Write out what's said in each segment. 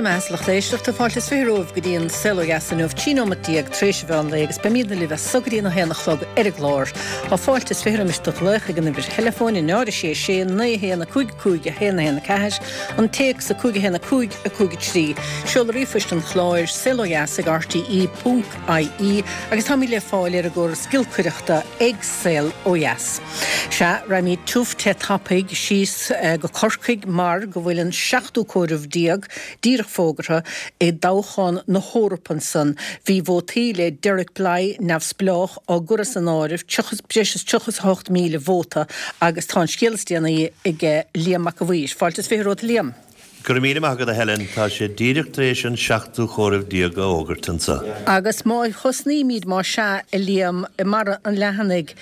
raibh maith agat a lucht éisteachta, fáilte is 20 romhaibh go dtí an Saol Ó Dheas inniu, 13 nóimeat tar éis an mheán lae agus beimidne libh as so go dtí an 1 a chlog ar an gclár. Tá fáilte is 20 roimis do ghlaoch ag an uimhir theileafóin, 0 6 6 9 1 5 5 1 1 4, an téacs 5 1 5 5 3, seoladh ríomhphoist an chláir, saolodheas ag rte ponc ie agus táimid le fáil ar an gcóras giolcaireachta ag Saol Ó Dheas. Sea, raghaimid tiubh te tapaidh síos go Corcaigh mar go bhfuil an seachtú comhaireamh díreach fógartha i dtoghchán na hEorpa ansan. Bhí vótaí le Derek Blighe, neamhspleách, á gcur as an áireamh, breis is 38,000 vóta agus tá an scéal is déanaí aige Liam Mac a' Mhaoir. Fáilte is 20 romhat a Liam. Go raibh míle maith agat a Helen, tá sé díreach tar éis an seachtú comhaireamh a fhógairt anseo. Agus má thosnaímid, más ea, a Liam, i mbarra an leathanaigh,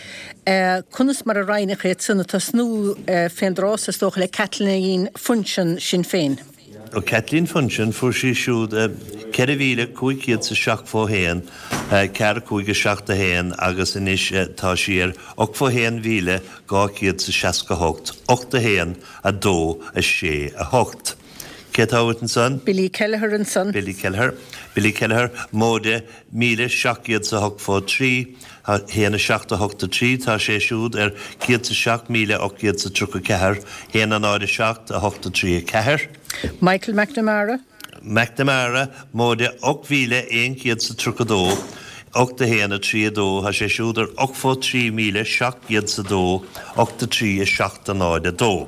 conas mar a roinneadh iad san, ag tosnú fén dtráth so is dócha le Caitlín Funchion, Sinn Féin? Ó Caitlín Funchion, fuair sí siúd 4,500 's a 71, 4, 5, 7, 1 agus anois tá sí ar 81,200 's a 68, 8, 1, 2, 6, 8. Cé atá uait ansan? Billy Kelleher ansan. Billy Kelleher. Billy Kelleher, móide 1,700 's a hocht fó 3, 1, 7, 8, 3, tá sé siúd ar 107,800 's a 34, 1, 0, 7, 8, 3, 4. Michael McNamara. McNamara, móide 8,100 's a 32, 8, 1, 3, 2, tá sé siúd ar 83,700 's a 2, 8, 3, 7, 0, 2.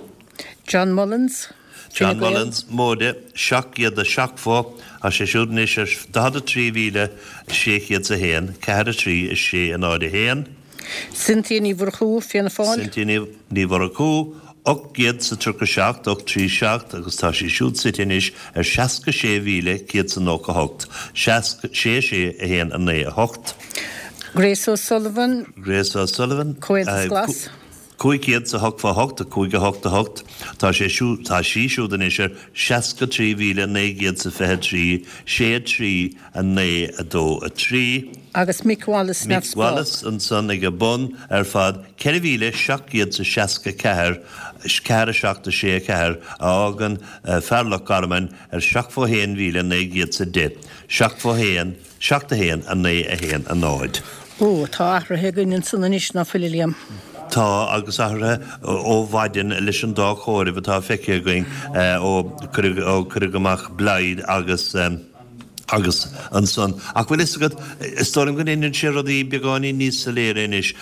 John Mullins, Fine John Gael. Mullins, móide 770, tá sé siúd anois ar 43,600 's a 1, 4, 3, 6, 0, 1. Cynthia Ní Mhurchú, Fianna Fáil. Cynthia Ní Mhurchú, 837, 8 3 7, agus tá sí siúd suite anois ar 66,198, 6 6 1 9 8. Grace O'Sullivan. Grace O'Sullivan. Comhaontas Glas. 588, 5 8 8, tá sé siúd, tá sí siúd anois ar 63,923, 6 3 9 2 3. Agus Mick Wallace Mick neamhspleách. Wallace ansan ag a bun ar fad, 4,764, 4 7 6 4, a fhágann fear Loch Garman ar 71,910, 71, 7 1 9 1 0. Ó, tá athruithe againn ansan anois, ná fuil, a Liam? Tá, agus athruithe ó mhaidin leis an dá chomhaireamh atá feicthe againn ó cuireadh amach Blythe agus. Agus ansan, ach bhfuil fhios agat, is dóigh liom go ndéanann sé rudaí beagáinín níos soiléire anois.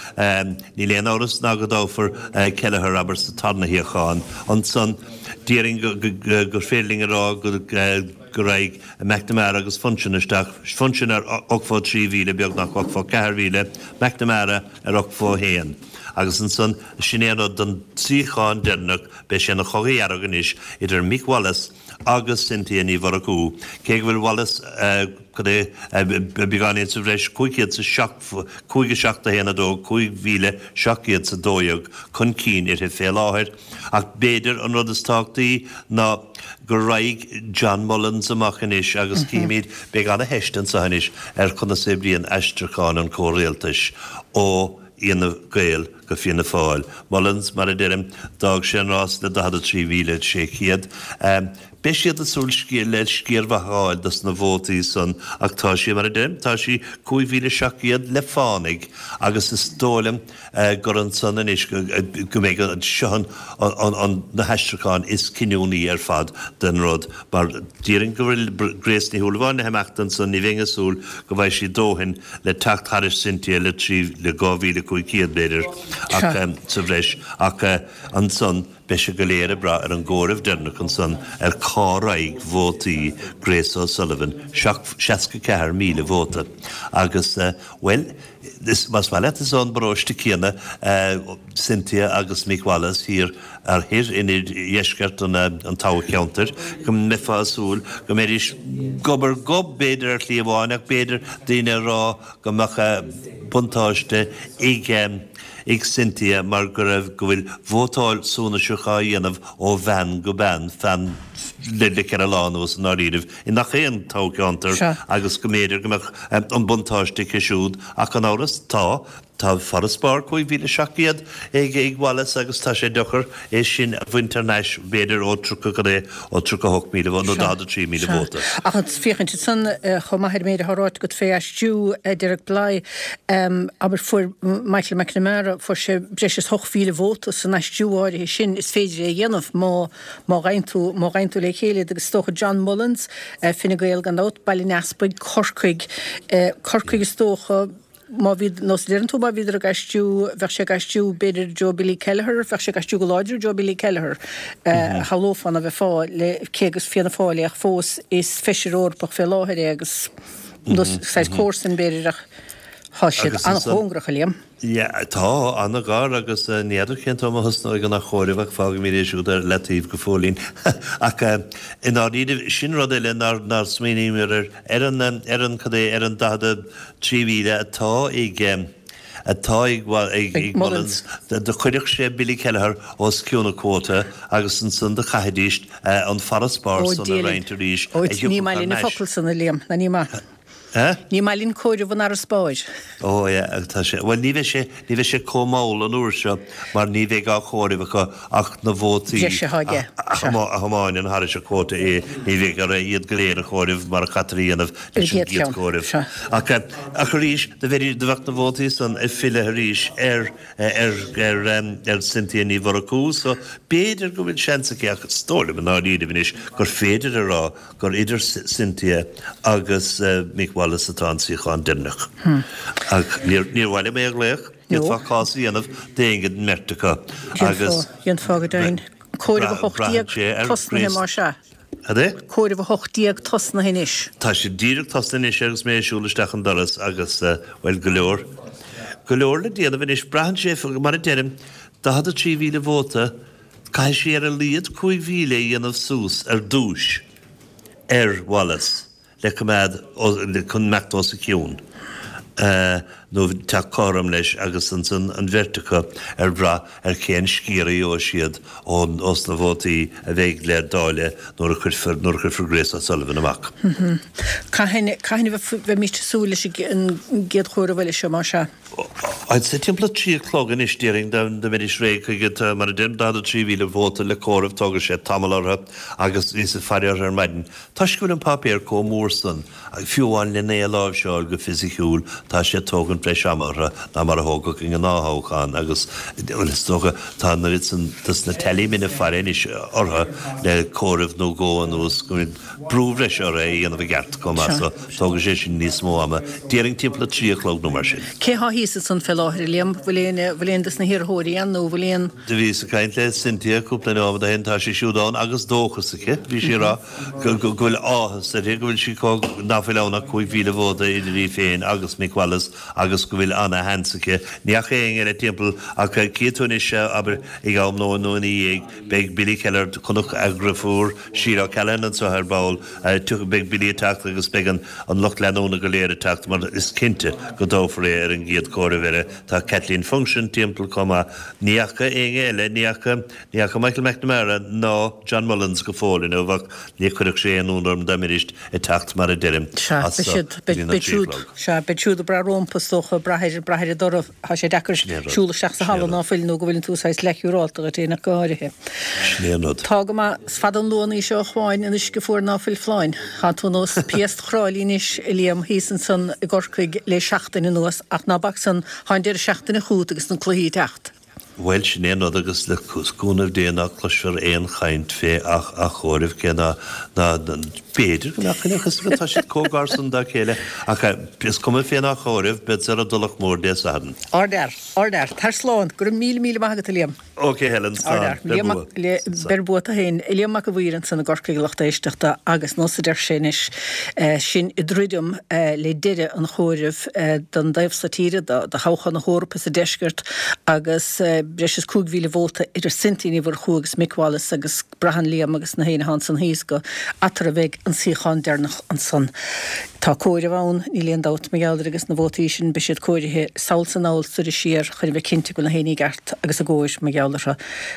Níl aon amhras ná go dtoghfar Kelleher, abair, sa tarna shuíochán. Ansan, déarfainn gur féidir linn a rá go raghaidh McNamara agus Funchion isteach, Funchion ar 83,000, beagnach 84,000, McNamara ar 81. Agus ansan, sin é an rud don suíochán deireanach, beidh sé ina chogadh dhearg anois idir Mick Wallace, agus Cynthia Ní Mhurchú. Cé go bhfuil Wallace, cad é, beagáinín sa bhreis, 500 's a 7, 5 7 1 2, 5,712 chun cinn uirthi fé láthair. Ach b'fhéidir an rud is tábhachtaí ná go raghaidh John Mullins amach anois agus cífimid, beidh ana-theist anseo anois ar conas a oibríonn aistriúchán an chomhrialtais ó Fhianna Gael go Fianna Fáil. Mullins, mar a deirim, d'fhág sé an rás le 43,600. Beidh siad ag súil le sciar mhaith a fháil dos na vótaí san ach tá sí, mar a deirim, tá sí 5,700 le fánaidh agus is dóigh liom gur ansan anois go mbeidh seo an na haistriúcháin is cinniúnaí ar fad den rud mar déarfainn go bhfuil Grace Ní Shúilleabháin le himeacht ansan, ní bheinn ag súil go bhfaighidh sí dóthain le teacht thairis Cynthia le 3, le 2,500 b'fhéidir ach sa bhreis ach ansan beidh sé go léir ag brath ar an gcomhaireamh deireanach ansan ar cá raghaidh vótaí Grace O'Sullivan, 64,000 vóta agus bhuel is más maith leat is ón bparóiste céanna Cynthia agus Mick Wallace thiar ar thoir in oirdheisceart an toghcheantair, go mbeifeá ag súil go mbeidís gob ar ghob b'fhéidir ar shlí amháin ach b'fhéidir daoine ag rá go mbeadh buntáiste ag ag Cynthia mar go raibh go bhfuil vótáil suanaiseach á dhéanamh ó bhean go bean fan. le 4 lá anuas i ndáiríribh i ngach aon toghcheantar agus go mb'fhéidir go mbeadh an buntáiste aici siúd ach gan amhras tá Tá farasbarr 5,700 ag Wallace agus tá sé deacair é sin a bhaint thar n-ais, b'fhéidir, ó 30 go dtí, ó 38,000 vóta nó 43,000 vóta. Ach ag féachaint ansan chomh maith ar an méid atá ráite agat fé aistriú Derek Blighe, abair, fuair Michael McNamara, fuair sé breis is 8,000 vóta san aistriú áirithe sin, is féidir é a dhéanamh má, má ghabhann tú, má ghabhann tú le chéile iad agus is dócha John Mullins, Fine Gael gan dabht, Baile an Easpaig, Corcaigh, Corcaigh is dócha, Má bhí, nós a deireann tú, má bhíodar ag aistriú, bheadh sé ag aistriú b'fhéidir i dtreo Billy Kelleher, bheadh sé ag aistriú go láidir i dtreo Billy Kelleher, shamhlófá ná bheifeá le, cé gur Fianna Fáil é ach fós is feisire Eorpach fé láthair é agus nós saghas comharsan b'fhéidir ach tá siad an-chóngarach, a Liam. Yeah, tá, an-ghar agus ní fheadar cén t-am a thosnóidh an athchomhaireamh ach fágfaimid é siúd ar leataobh go fóillín. Ach i ndáiríribh, sin rud eile nár smaoiníomar air, ar an, ar an, cad é, ar an 43,000 atá ag, atá ag, ag, ag Mullins, do chuirfeadh sé Billy Kelleher os cionn an quota agus ansan do chaithfidís an farasbarr san a roinnt arís a thiocfadh thar n-ais. Ní maith linn an focal san, a Liam, ná ní maith. Ní maith linn comhaireamh an fharasbairr. Ó yeah, tá sé, bhuel ní bheidh sé, ní bheidh sé chomh mall an uair seo mar ní bheidh á chomhaireamh acu ach na vótaí breise atá aige. a thiomáineann thairis an quota é, ní bheidh orthu iad go léir a chomhaireamh mar a chaitear a dhéanamh leis an gcéad chomhaireamh. Ach, ach arís, do bheidh, do bheadh na vótaí san ag filleadh arís ar, ar, ar, ar Cynthia Ní Mhurchú so b'fhéidir go bhfuil seans aici ach is dóigh liom i ndáiríribh anois gur féidir a rá gur idir Cynthia agus Mick Wallace atá an suíochán deireanach. Ach níor mhaith liom é a ghlaoch, d'fhéadfá cás a dhéanamh d'éinne den mbeirt acu agus. Dhéanfá go deimhin. Comhaireamh 18 tosnaithe más ea. Cad é? Comhaireamh 18 tosnaithe anois. Tá sé díreach tosnaithe anois agus mé ag siúl isteach an doras agus, bhuel, go leor, go leor le déanamh anois. Braitheann sé, mar a deirim, 43,000 vóta, Caithfidh sí ar a laghad 5,000 a dhéanamh suas ar dtúis ar Wallace le coimeád chun imeacht os a chionn nó teacht cothrom leis agus ansan an bheirt acu ar bhrath ar cén sciar a gheobhaidh siad ós na vótaí a bheidh le dáileadh nuair a chuirfear nuair a chuirfear Grace O'Sullivan amach. Cathain cathain a bheimís ag súil leis an gcéad chomhaireamh eile seo, más ea? I'd say timpeall a 3 a chlog anois, déarfainn, dá mbeidís réidh chuige. Tá, mar a deirim, 43,000 vóta le comhaireamh, tógfaidh sé tamall orthu agus bhíos ag faire orthu ar maidin. Toisc go bhfuil an páipéar chomh mór san, fiú amháin len é a láimhseáil go fisiciúil, tá sé ag tógaint breis ama orthu ná mar a thógfadh i ngnáth-thoghchán agus, bhuel, is dócha, tá an oiread san dos na tallymen ag faire anois orthu le comhaireamh nó dhó anuas go bhfuil brú bhreise orthu é a dhéanamh i gceart chomh maith so tógfaidh sé sin níos mó ama. Déarfainn timpeall a 3 a chlog nó mar sin. Cé thá thíos ansan fé láthair, a Liam? Bhfuil aon, bhfuil aon dos na hiarrthóirí ann nó bhfuil aon. Do bhíos ag caint le Cynthia cúpla nóiméad ó shin, tá sí siúd ann agus dóchas aici. Bhí sí ag rá go, go bhfuil áthas uirthi go bhfuil sí chomh, ná fuil ann ach 5,000 vóta idir í féin agus Mick Wallace agus go bhfuil ana-sheans aici. Ní fhaca éinne eile timpeall ach cífidh tú anois, abair, ag am lóin nó ina dhiaidh, Beidh Billy Kelleher, chonac a dhriofúr Sheila O'Callaghan anseo ar ball. Beidh Billy ag teacht agus beidh an lucht leanúna go léir ag teacht mar is cinnte go dtoghfar é ar an gcéad chomhaireamh eile. Tá Kathleen Funchion timpeall chomh maith. Ní fhaca éinne eile, ní fhaca, ní fhaca Michael McNamara ná John Mullins go fóill inniu ach ní chuirfeadh sé aon ionadh orm dá mbeidís ag teacht mar a deirim Sea, as beidh siad, go dtí na beidh siúd, chlog. sea, beidh siúd ag brath rompu is dócha, ag brath ar, brath ar an dtoradh. Tá sé deacair siúl isteach sa halla ná fuil nó go bhfuileann tú saghas leathshiúrálta dhuit féin ach go háirithe. Sin é an rud. Tá go maith. Is fada an luan í seo a Chuáin, an uisce fuar ná fuil folláin. Tá tú nós piast Thráilí anois, a Liam, thíos ansan i gCorcaigh le seachtain anuas ach ná bac san, tá an deireadh seachtaine chugat agus na cluichí ag teacht. Bhuel, sin é an rud agus le cúnamh Dé ná cloisfear aon chaint fé athchomhaireamh, cé ná, ná, b'fhéidir go mbeadh, níl a fhios agat, tá siad chomh gar san dá chéile, ach is cuma fén athchomhaireamh, bead ar an dTulach Mhór Dé Sathairn. Ardfhear, ardfhear. Tar slán. Go raibh míle, míle maith agat, a Liam. Ok, Helen, slán. Beir bua. Beir bua tú féin. Liam Mac a' Mhaoir ansan i gCorcaigh, a lucht éisteachta, agus nós a deir sé anois, sinn ag druidim le deireadh an chomhairimh don dtaobh so tíre, do thoghchán na hEorpa sa deisceart agus. breis is 5,000 vóta idir Cynthia Ní Mhurchú agus Mick Wallace agus braitheann Liam agus na héinne atá ansan thíos gur eatarthu a bheidh an suíochán deireanach ansan. Tá comhaireamh ann, níl aon dabht mar gheall air agus na vótaí sin beidh siad comhairithe sall 's anall soir is siar chun a bheith cinnte go bhfuil na héinní i gceart agus i gcóir mar gheall orthu.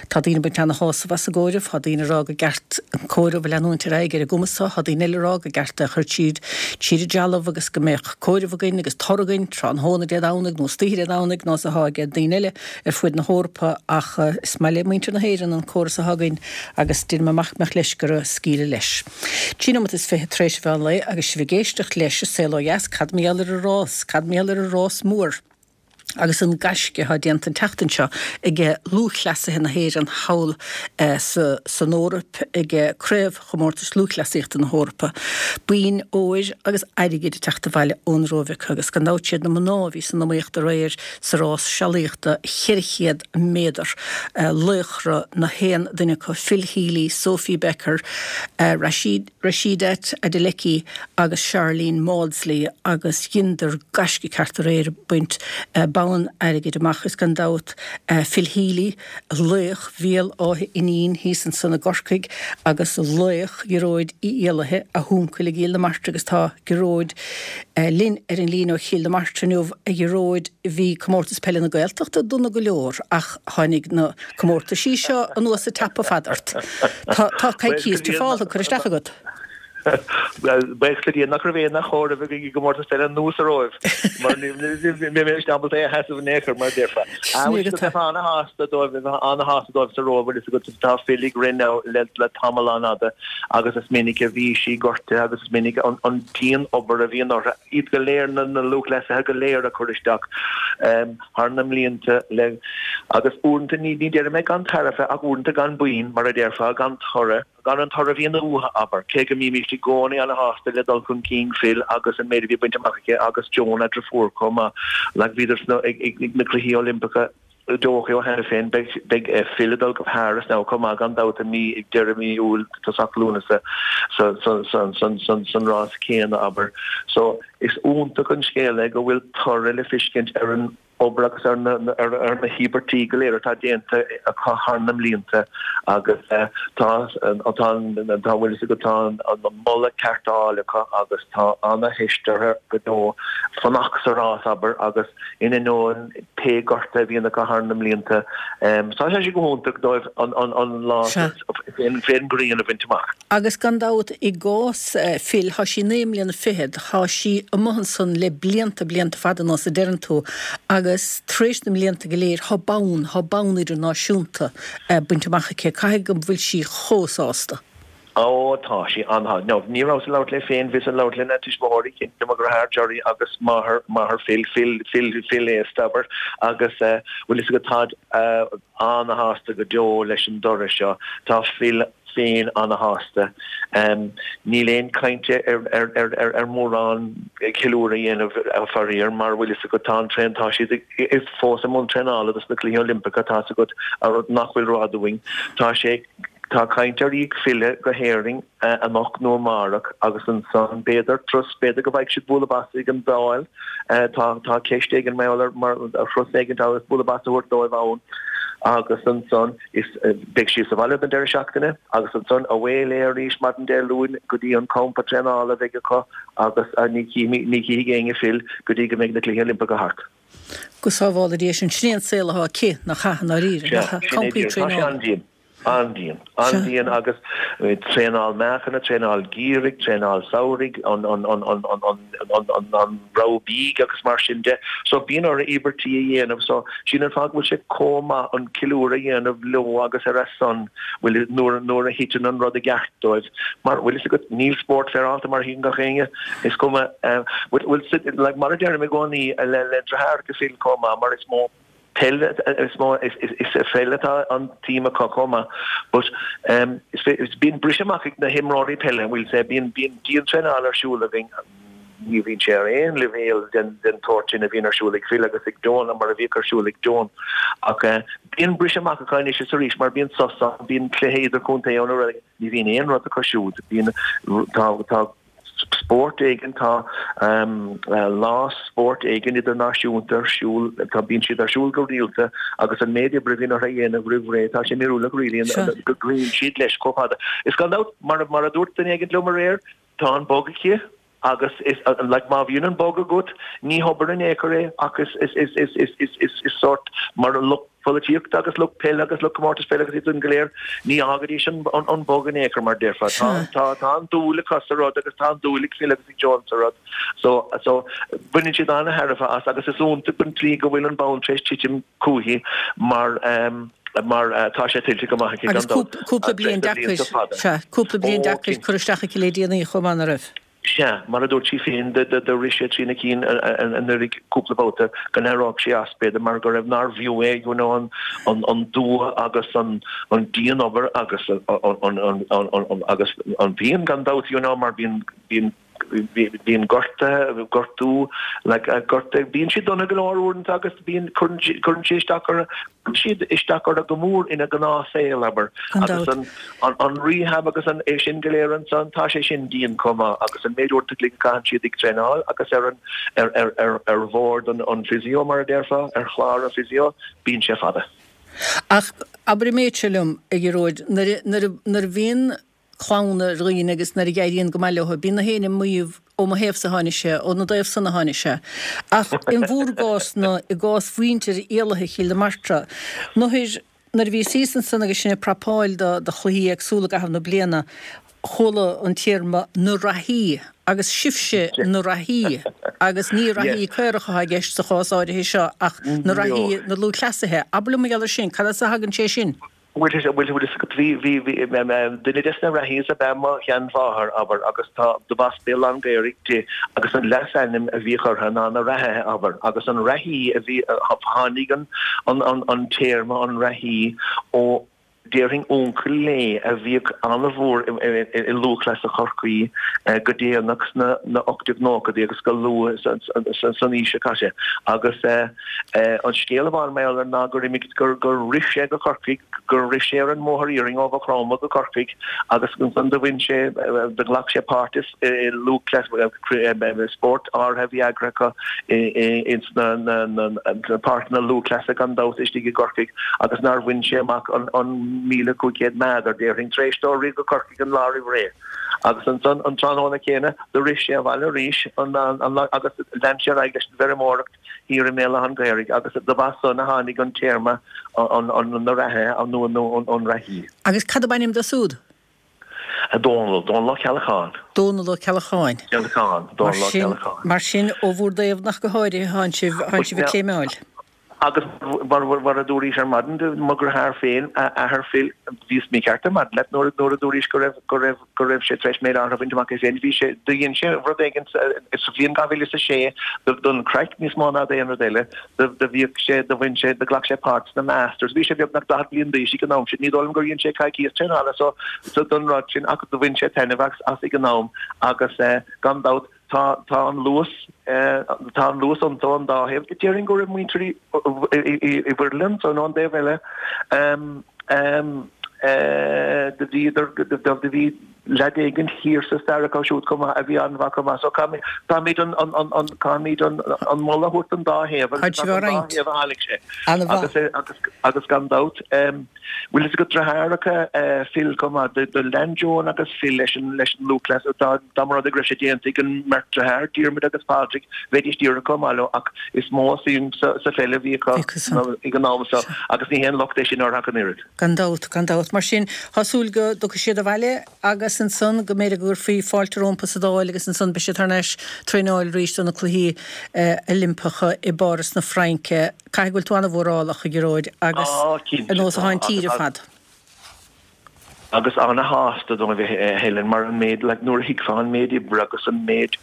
Tá daoine ag baint ana-shásamh as an gcomhaireamh, tá daoine ag rá gur ceart an comhaireamh a leanúint ar aghaidh ar an gcuma so, tá daoine eile ag rá gur ceart é a chur tríd tríd an dealbh agus go mbeadh comhaireamh againn agus toradh againn tráthnóna Dé Domhnaigh nó istoíche Dé Domhnaigh nós atá ag daoine eile ar fuaid na hEorpa ach is maith le muintir na hÉireann an córas atá againn agus deirim amach mbeadh leis gur scaoileadh leis. 23 nóimeat tar éis an mheán lae agus sibh ag éisteacht leis an Saol Ó Dheas, cad mar gheall ar an rás, cad mar gheall ar an rás mór? agus an gaisce atá déanta an tseachtain seo ag lúthchleasaithe na hÉireann thall san Eoraip ag Craobhchomórtais Lúthchleasaíochta na hEorpa. Boinn óir agus airgid ag teacht abhaile ón Róimh acu agus gan dabht siad na mná a bhí san iomaíocht aréir sa rás sealaíochta 400 méadar. Laochra na haon duine acu, Phil Healy, Sophie Becker, Rashid. Rhasidat Adeleke agus Sharlene Mawdsley agus dheineadar gaisce ceart aréir ag baint bonn airgid amach is gan dabht Phil Healy, laoch Bhéal Átha Fhínín thíos ansan i gCorcaigh agus laoch Ghearóid Uí Éallaithe, a huncail i gCill na Martra agus tá Gearóid linn ar an líne ó Chill na Martra inniu. A Ghearóid, bhí Comórtas Peile na Gaeltachta dona go leor ach tháinig na comórtaisí seo anuas ag teapadh fada ort. Tá tá coicíos trufáltha curtha isteach agat. Buíochas le Dia nach raibh aon chomhaireamh againn i gcomórtas peile anuas sa Róimh mar ní bheidh mé ábalta é a sheasamh in aon chor mar a déarfá. Bheith an-shásta dóibh bheith an-shásta dóibh sa Róimh bhfuil fhios agat tá Phil ag rith now le le tamall an-fhada agus is minic a bhí sí gortaithe agus is minic an an dian-obair a bhíonn orthu iad go léir na na lúthchleasaithe go léir a chur isteach. thar na mblianta le agus uaireanta, ní déarfaidh mé gan tairbhe ach uaireanta gan boinn, mar a déarfá, gan toradh, gan an toradh a bhíonn uathu, abair, cé go mbímíst i gcónaí ana-shásta le dul chun cinn Phil agus an méid a bhí bainte amach aici agus Joan a deirfiúr chomh maith, like bhíodar sna, ag na Cluichí Oilimpeacha i dTóiceo cheana féin, beidh, beidh Phil ag dul go Paris now chomh maith gan dabht i mí, ag deireadh mí Iúil, tosach Lúnasa sa, sa, sa, san, san, san rás céanna, abair. So. Is iontach an scéal é go bhfuil toradh le fiscint ar an obair agus ar na ar na híobairtí go léir atá déanta acu thar na mblianta agus tá tá tá bhfuil fhios agat tá an moladh ceart á fháil acu agus tá ana-theist orthu go deo fanacht sa rás abair agus in ainneoin pé gorta a bhíonn acu thar na mblianta tá sé go hiontach dóibh an lá fén ngrian a bhaint amach. Agus gan dabht, i gcás Phil, thá sí naoi mbliana fichead, thá sí amuigh ansan le blianta, blianta fada anuas, a deireann tú, agus tar éis na mblianta go léir, thá bonn, thá bonn idirnáisiúnta bainte amach aici. Caithfidh go bhfuil sí chomh sásta. Ó, tá sí an-shásta. Now, ní rabhas ag labhairt léi féin, bhíos ag labhairt lena tuismitheoirí, cinnte, mo dheartháir Gerry agus máthair, máthair Phil, Phil, Phil, Phil aosta, abair, agus eh, bhfuil fhios agat, táid eh, an-shásta go deo leis an dtoradh seo. Tá Phil féin ana-shásta. Níl aon chaint ar mhórán ceiliúradh a dhéanamh faraor mar bhfuil fhios agat tá an traen tá siad fós i mbun traenála dos na Cluichí Oilimpeacha tá fhios agat nach bhfuil rófhada uainn. Tá sé tá caint ar í ag filleadh go hÉirinn anocht nó amárach agus ansan b'fhéidir turas b'fhéidir go bhfaighidh siad bualadh bas ag an Dáil tá tá ceist éigin mar mar thuras éigin agus bualadh bas a thabhairt dóibh ann agus ansan Is beidh sí sa bhaile don deireadh seachtaine agus ansan away léi arís maidin Dé Luain go dtí an campa traenála a bheidh acu agus ní chífidh éinne Phil go dtí go mbeidh na Cluichí Oilimpeacha thart. Go sábhála Dia sinn. Sin é an saol atá aici, nach ea, i ndáiríre, nach ea? Campaí traenála. Tá sé an-dian. An-dian. An-dian agus traenáil meáchain, traenáil geimhridh, traenáil samhraidh, an an rogha bídh agus mar sin de. So bíonn orthu íobairtí a dhéanamh. So sin an fáth go bhfuil sé chomh maith an ceiliúradh a dhéanamh leo agus ar a son, bhfuil, nuair, nuair a thiteann an rud i gceart dóibh. Mar, bhfuil fhios agat, níl spórt féaráilte mar a thuigeann gach éinne. Is cuma, bhfuil, like, mar a deirim i gcónaí le, le deartháireacha Phil chomh maith, mar is mó, peil is mó is sa pheil atá an tsuim acu chomh maith but is bíonn briseadh amach ag na himreoirí peile we'll say bíonn bíonn diantraenáil ar siúl againn ní bhíonn sé ar aon leibhéal den den tsórt sin a bhíonn ar siúl ag Phil agus ag Joan mar a bhíodh ar siúl ag Joan ach bíonn briseadh amach acu anois is arís mar bíonn sos ann bíonn cluiche idirchontae ann ní bhíonn aon rud acu siúd bíonn tá tá. spórt éigin, tá lá spóirt éigin idirnáisiúnta ar siúl, tá, bíonn siad ar siúl go rialta agus an méid oibre a bhíonn orthu a dhéanamh roimh ré, tá sé míorúilteach really go gcloíonn siad leis chomh fada. Is gan dabht, mar a dúirt duine éigin liom aréir, tá an bug aici agus is, like, má bhíonn an bug agat, ní hobair in aon chor é ach is, is, is, is, is, is, is, is sórt mar lucht polaitíochta agus lucht peile agus lucht comórtais peile agus iad san go léir, ní fhágfaidís an bug in aon chor mar déarfá. Tá tá an dúil acu sa rud agus tá an dúil ag Phil agus ag Joan sa rud. So so baineann siad an-thairbhe as agus is iontach an tslí go bhfuil an bonn tar éis titim chúithi mar mar tá sé tuillte go maith aici gan Agus dabht cúpla bliain deacair, sea, cúpla bliain deacair curtha isteach aici le déanaí chomh maith, nach raibh? Sea, mar a dúirt sí féin, do rith sé trína cinn anuraidh cúpla babhta go n-éireodh sí as, b'fhéidir, mar go raibh, nárbh fhiú é, you know, an dua agus an dianobair agus agus an pian gan dabht, you know, mar bíonn, bíonn, bíonn gortuithe, gortú, like, gortuithe, bíonn siad dona go leor uaireanta agus bíonn, cuireann sé isteach orthu, cuireann siad isteach orthu go mór ina ngnáthshaol, abair, agus an, an rehab agus an, é sin go léir ansan, tá sé sin dian chomh maith agus an méid uaireanta a chloig a chaitheann siad ag traenáil agus ar an, ar, ar, ar, ar bhord an, an physio mar a déarfá, ar chlár an physio, bíonn sé fada. Ach abair an méid seo liom, a Ghearóid, nuair a, nuair a, nuair a bhíonn clann ar dhaoine agus nuair a éiríonn go maith leo, bíonn na héinne ag maíomh ó mo thaobhsa a tháinig sé, ó na dtaobh san a tháinig sé. Ach in bhúr gcás-na, i gcás mhuintir Éalaithe Chill na Martra, nuair, nuair a bhíos thíos ansan agus sinn ag prapáil do, do chluichí éagsúla i gcaitheamh na bliana, chuala an téarma 'na reathaí' agus sibhse na reathaí agus ní reathaí caorach atá i gceist sa chás áirithe seo ach na reathaí na lúthchleasaithe. Abair liom mar gheall air sin, cad as a thagann sé sin? Bhuel, bhuel, bhuel, bhí, bhí, bhí, duine des na reathaí ab ea mo sheanmháthair, abair, agus tá, do b'as Béal Átha an Ghaorthaidh di, agus an leasainm a bhíodh uirthi ná na reathaithe, abair, agus an reathaí a bhí, tháinig an, an, an, an téarma an reathaí ó, déarfainn, uncail léi a bhíodh an-mhór i, i, i, i lúthchleasa Chorcaí go déanach sna, na 1890idí agus go luath san, san, san aois seo caite, agus. An scéal a bhain mé air ná gur imigh, gur rith sé go Corcaigh, gur rith sé ar an mbóthar iarainn ó Mhaigh Chromtha go Corcaigh agus ansan do bhain sé, do ghlac sé páirt i lúthchleas, spórt áirithe a bhí eagraithe acu ins na páirceanna lúthchleasa gan dabht istigh i gCorcaigh agus nár bhain sé amach an 1,500 meadar, déarfainn, tar éis dó rith go Corcaigh an lá roimh ré. Agus ansan an tráthnóna céanna do rith sé abhaile arís agus lean sé ar aghaidh leis an bhfeirmeoireacht. thiar i mBéal Átha an Ghaorthaidh agus do b'as san a tháinig an téarma an na reathaithe nó an reathaí. Agus cad ab ainm dó súd? Dónall, Dónall Ó Ceallacháin. Dónall Ó Ceallacháin. Ceallacháin, Dónall Ó Ceallacháin. Mar sin, ó bhúr dtaobh nach go háirithe thánn sibh, thánn sibh ag cléimeáil. Agus mar a dúraís ar maidin, mo dheartháir féin, athair Phil, bhíos mícheart ar maidin leat nuair a dúraís go raibh, go raibh, go raibh sé tar éis méid áirithe a bhaint amach é féin. Bhí sé, do dhein sé rud éigin sa bhliain 2006 don chraic níos mó ná d'aon rud eile. Do, do bhíodh sé, do bhain sé, do ghlac sé páirt sna Masters. Bhí sé beagnach 40 bliain d'aois ag an am sin. Ní dóigh liom gur dhein sé coicíos traenála so, so don rud sin ach do bhain sé taitneamh as, as ag an am agus eh, gan dabht tá, tá an luas eh, tá an luas iontu an dá thaobh. Déarfainn go raibh muintir Uí, Uí, Uí Mhuirthile ansan ón dtaobh eile. Em, em, Do bhíodar, do bhí leaid éigin thiar sa stair acu siúd chomh maith a bhí an-mhaith chomh maith. So caithfimid an, an, an, an, caithfimid an, an moladh a thabhairt don dá thaobh agus is as an dá thaobh a tháinig sé. Agus, agus, agus gan dabht, bhfuil fhios agat deartháireacha Phil chomh maith, do, do lean Joan agus Phil leis an, leis an lúthchleas, dá, dá mba rud é go raibh sé déanta ag an mbeirt deartháir, Diarmuid agus Pádraig, bheidís díreach chomh maith leo ach is mó suim sa, sa pheil a bhí acu ag an am so agus ní haon locht é sin orthu ach an oiread. Gan dabht, gan dabht. Mar sin, tá súil go dtiocfaidh siad abhaile agus ansan go mb'fhéidir go gcuirfí fáilte rompu sa Dáil agus ansan beidh siad thar n-ais traenáil arís do na Cluichí Oilimpeacha i bPáras na Fraince. Caithfidh go bhfuil tú an-mhórálach, a Ghearóid, agus ar nós atá an tír ar fad. Agus ana-shásta dóibh, a Helen, mar an méid, like, nuair a thuigfeá an méid oibre agus an méid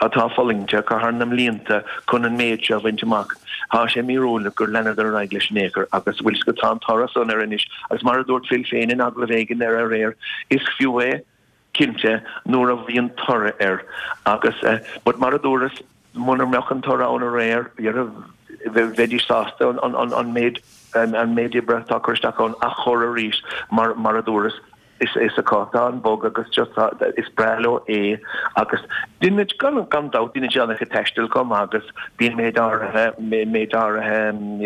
atá fulaingte acu thar na mblianta chun an méid seo a bhaint amach. Tá sé míorúilteach gur leanadar ar aghaidh leis in aon chor agus bhfuil 's agat tá an toradh san air anois agus mar a dúirt Phil féin in agallamh éigin ar aréir, is fiú é, cinnte, nuair a bhíonn toradh air agus but mar a dúras, muna mbeadh an toradh ann aréir, bheidís sásta an méid an méid oibre atá curtha isteach ann a chur arís mar mar a dúras. Is acu atá an bug agus just is breá leo é agus déanann, gan dabht, déanann siad an-chuid taistil chomh maith agus bíonn méid áirithe, méid áirithe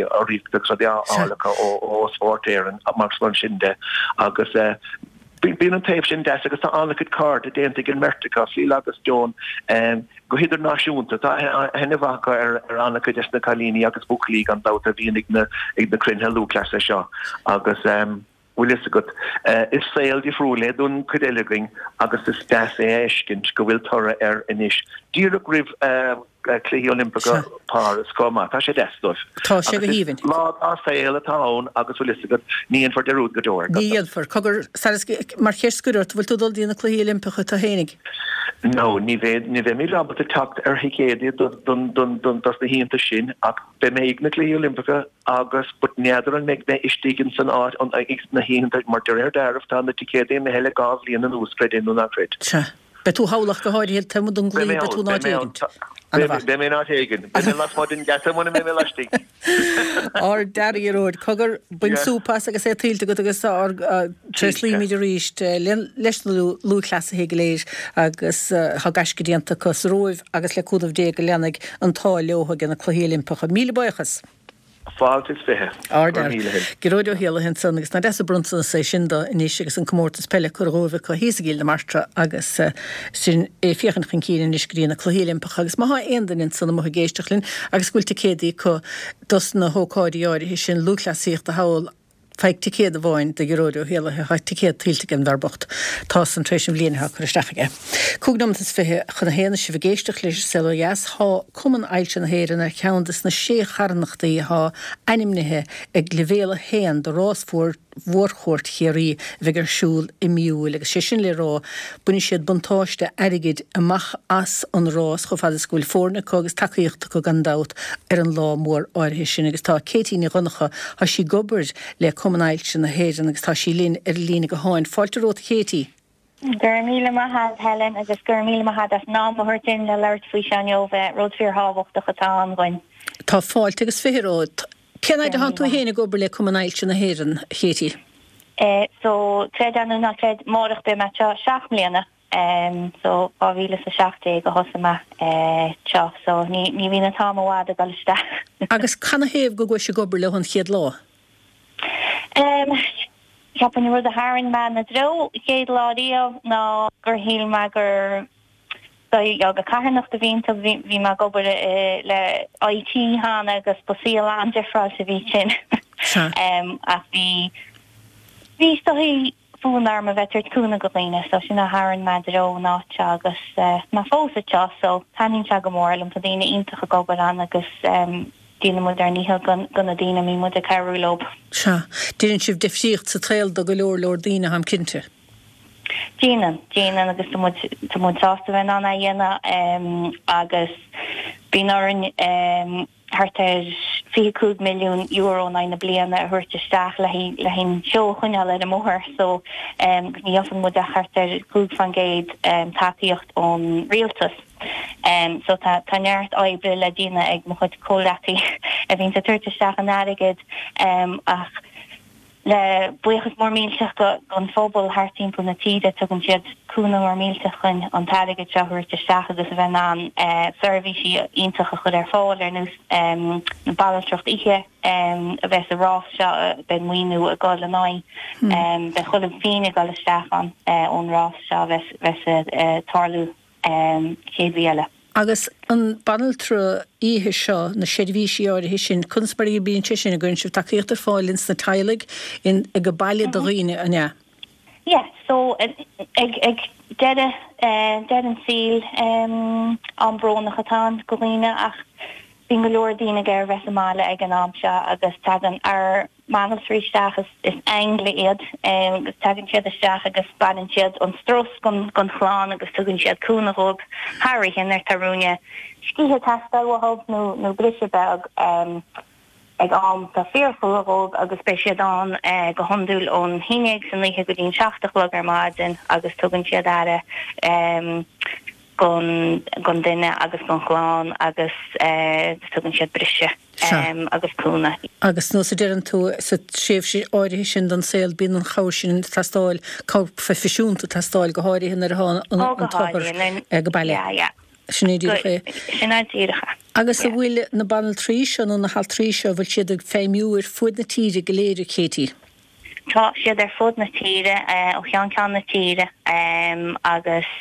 urraíochta agus rudaí á fháil acu ó Spórt Éireann mar sin de agus bíonn an taobh sin deas agus tá an-chuid cairde déanta ag an mbeirt acu, Phil agus Joan, go hidirnáisiúnta. Tá aithne mhaith acu ar an-chuid des na cailíní agus buachaillí gan dabht a bhíonn ag na cruinnithe lúthchleasa seo agus. Bhfuil fhios agat, is saol difriúil é don chuid eile againn agus is deas é a fheiscint go bhfuil toradh air anois, díreach roimh Chluichí Oilimpeacha Páras chomh maith. Tá sé deas dóibh. Tá sé go haoibhinn. Lá dá saol atá ann agus bhfuil fhios agat, ní dhéanfar dearúd go deo air. Ní dhéanfar. Cogar, mar cheist scoir ort, an bhfuil tú ag dul dtí na Cluichí Oilimpeacha tú fhéinig? No, ní bheidh, ní bheimid ábalta teacht ar thicéadaí don, don, don, dos na hoícheanta sin ach beidh mé ag na Cluichí Oilimpeacha agus but n'fheadar an mbeidh mé istigh in san áit an ag na hoícheanta mar de réir dealraimh tá na ticéadaí imithe le gá bhliain anuas, creid é nó ná creid. Sea. Beidh tú thall ach go háirithe taobh amuigh den gcluiche, beidh tú in áit éigint. Ana-mhaith. Beidh mé in áit éigin. Beidh mé lasmuigh den gheata muna mbeidh mé laistigh. Ár dfhear Ghearóid, cogar, bain súp as agus é tuillte agat agus ár tréaslaímid arís leis na lúthchleasaithe go léir agus tá gaisce déanta acu sa Róimh agus le cúnamh Dé go leanfaidh an t-ádh leo ag na Cluichí Oilimpeacha. Míle buíochas! Fáilte is 20. Ard fhear. Gearóid Ó hÉallaithe ansan agus nach deas an bronntanas é sin dó anois agus an comórtas peile curtha dhóibh acu thíos i gCill na Martra agus sinn ag féachaint chun cinn anois go dtí na Cluichí Oilimpeacha agus má thá aon duine ansan amuigh ag éisteacht linn agus go bhfuil ticéadaí acu dos na hócáidí áirithe sin lúthchleasaíochta thall Faigh ticéad amháin do Ghearóid Ó hÉallaithe, tá ticéad tuillte ag an bhfear bocht. Tá san tar éis an bhliain atá curtha isteach aige. Cúig nóimeat is 20 chun a haon is sibh ag éisteacht leis an Saol Ó Dheas. Tá Cumann Ailse na hÉireann ar cheann des na sé charthanachtaí atá ainmnithe ag Leibhéal 1 do rás Mhórchuairt Chiarraí a bheidh ar siúl i mí Iúil agus sé sin le rá bainfidh siad buntáiste airgid amach as an rás chomh fada is go bhfuil foirne acu agus tacaíocht acu gan dabht ar an lá mór áirithe sin agus tá Katie Ní Dhonncha Tá sí ag obair le Cumann Ailse na hÉireann agus tá sí linn ar an líne gutháin. Fáilte romhat a Katie. Go raibh míle maith agat Helen agus go raibh míle maith agat as an am a thabhairt dúinn le labhairt faoi seo inniu. Rud fíor thábhachtach atá ann dhuinn. Tá fáilte agus 20 romhat. Cén fhaid atá tú féin ag obair le Cumann Ailse na hÉireann, a Katie? So, creid é nó ná creid, amárach beidh mé anseo 7 mbliana. So, 2017 a thosaigh mé anseo, so ní ní bhíonn an t-am i bhfad ag dul isteach. Agus canathaobh go gcuais ag obair leo an chéad lá? Cheapfainn an rud a tharraing mé ina dtreo an chéad lá riamh ná gur shíl mé gur dóigh de carthanacht a bhí iontu. Bhí mé ag obair le IT cheana agus ba saol an-difreáilte a bhí ansin. Ach bhí bhí is dóigh fonn orm a bheith ag tabhairt cúnamh go dhaoine so sin a tharraing mé i dtreo an áit seo agus mé fós anseo so taitníonn sé go mór liom. Tá daoine iontach ag obair ann agus déanann muid ár ndícheall go na daoine a mbíonn muid ag cabhrú leo. Sea. Déanann sibh difríocht sa tsaol do go leor leor daoine, táim cinnte. Déanann, déanann agus tá muid, tá muid sásta a bheith in ann é a dhéanamh agus bíonn orainn thart ar €25 milliún in aghaidh na bliana a thabhairt isteach le haghaidh an seó a choinneáil ar an mbóthar so ní gheobhann muid ach thart ar 5% tacaíocht ón rialtas. So tá tá neart oibre le déanamh ag mo chuid comhleacaí a bhíonns ag tabhairt isteach an airgid ach Le buíochas mór millteach don phobal thart timpeall na tíre, tugann siad cúnamh mór millteach chun an t-airgead seo a thabhairt isteach agus a bheith in ann seirbhísí iontach a chur ar fáil, ar nós na banaltracht oíche a bheas sa rás seo, beidh maoiniú ag dul in aghaidh, beidh chuile phingin ag dul isteach ann ón rás seo a bheas ag tarlú. chéad mhí eile. Agus an banaltra oíche seo, na seirbhísí áirithe sin, conas mar a bhíonn sé sin, an gcuireann sibh tacaíocht ar fáil ins na teaghlaigh, in, ag an baile do dhaoine, an ea? Yeah, so ag, ag deireadh, deireadh an tsaoil, am brónach atá ann go dhaoine ach bíonn go leor daoine ag iarraidh a bheith sa mbaile ag an am seo agus tagann ár mbanaltraí isteach, is aingil iad agus tagann siad isteach agus baineann siad an strus den chlann agus tugann siad cúnamh dhóibh thar oíche nuair atá ruainne scíthe ag teastáil uathu nó nó briseadh beag ag am atá fíorchrua dhóibh agus beidh siad ann go hiondúil ón haon dhéag san oíche go dtí an seacht a chlog ar maidin agus tugann siad aire. Gon duine agus gon chlann agus tugann siad briseadh agus cúnamh. Agus nós a deireann tú, sa tréimhse áirithe sin den saol bíonn an chabhair sin ag teastáil, cabhair phroifisiúnta ag teastáil, go háirithe nuair atá an t-othar go baile. Sin é díreach é. Sin é díreach é. Agus an bhfuil na banaltraí seo nó na haltraí seo, an bhfuil siad ag feidhmiú ar fuaid na tíre go léir, a Katie? Tá siad ar fud na tíre, ó cheann ceann na tíre agus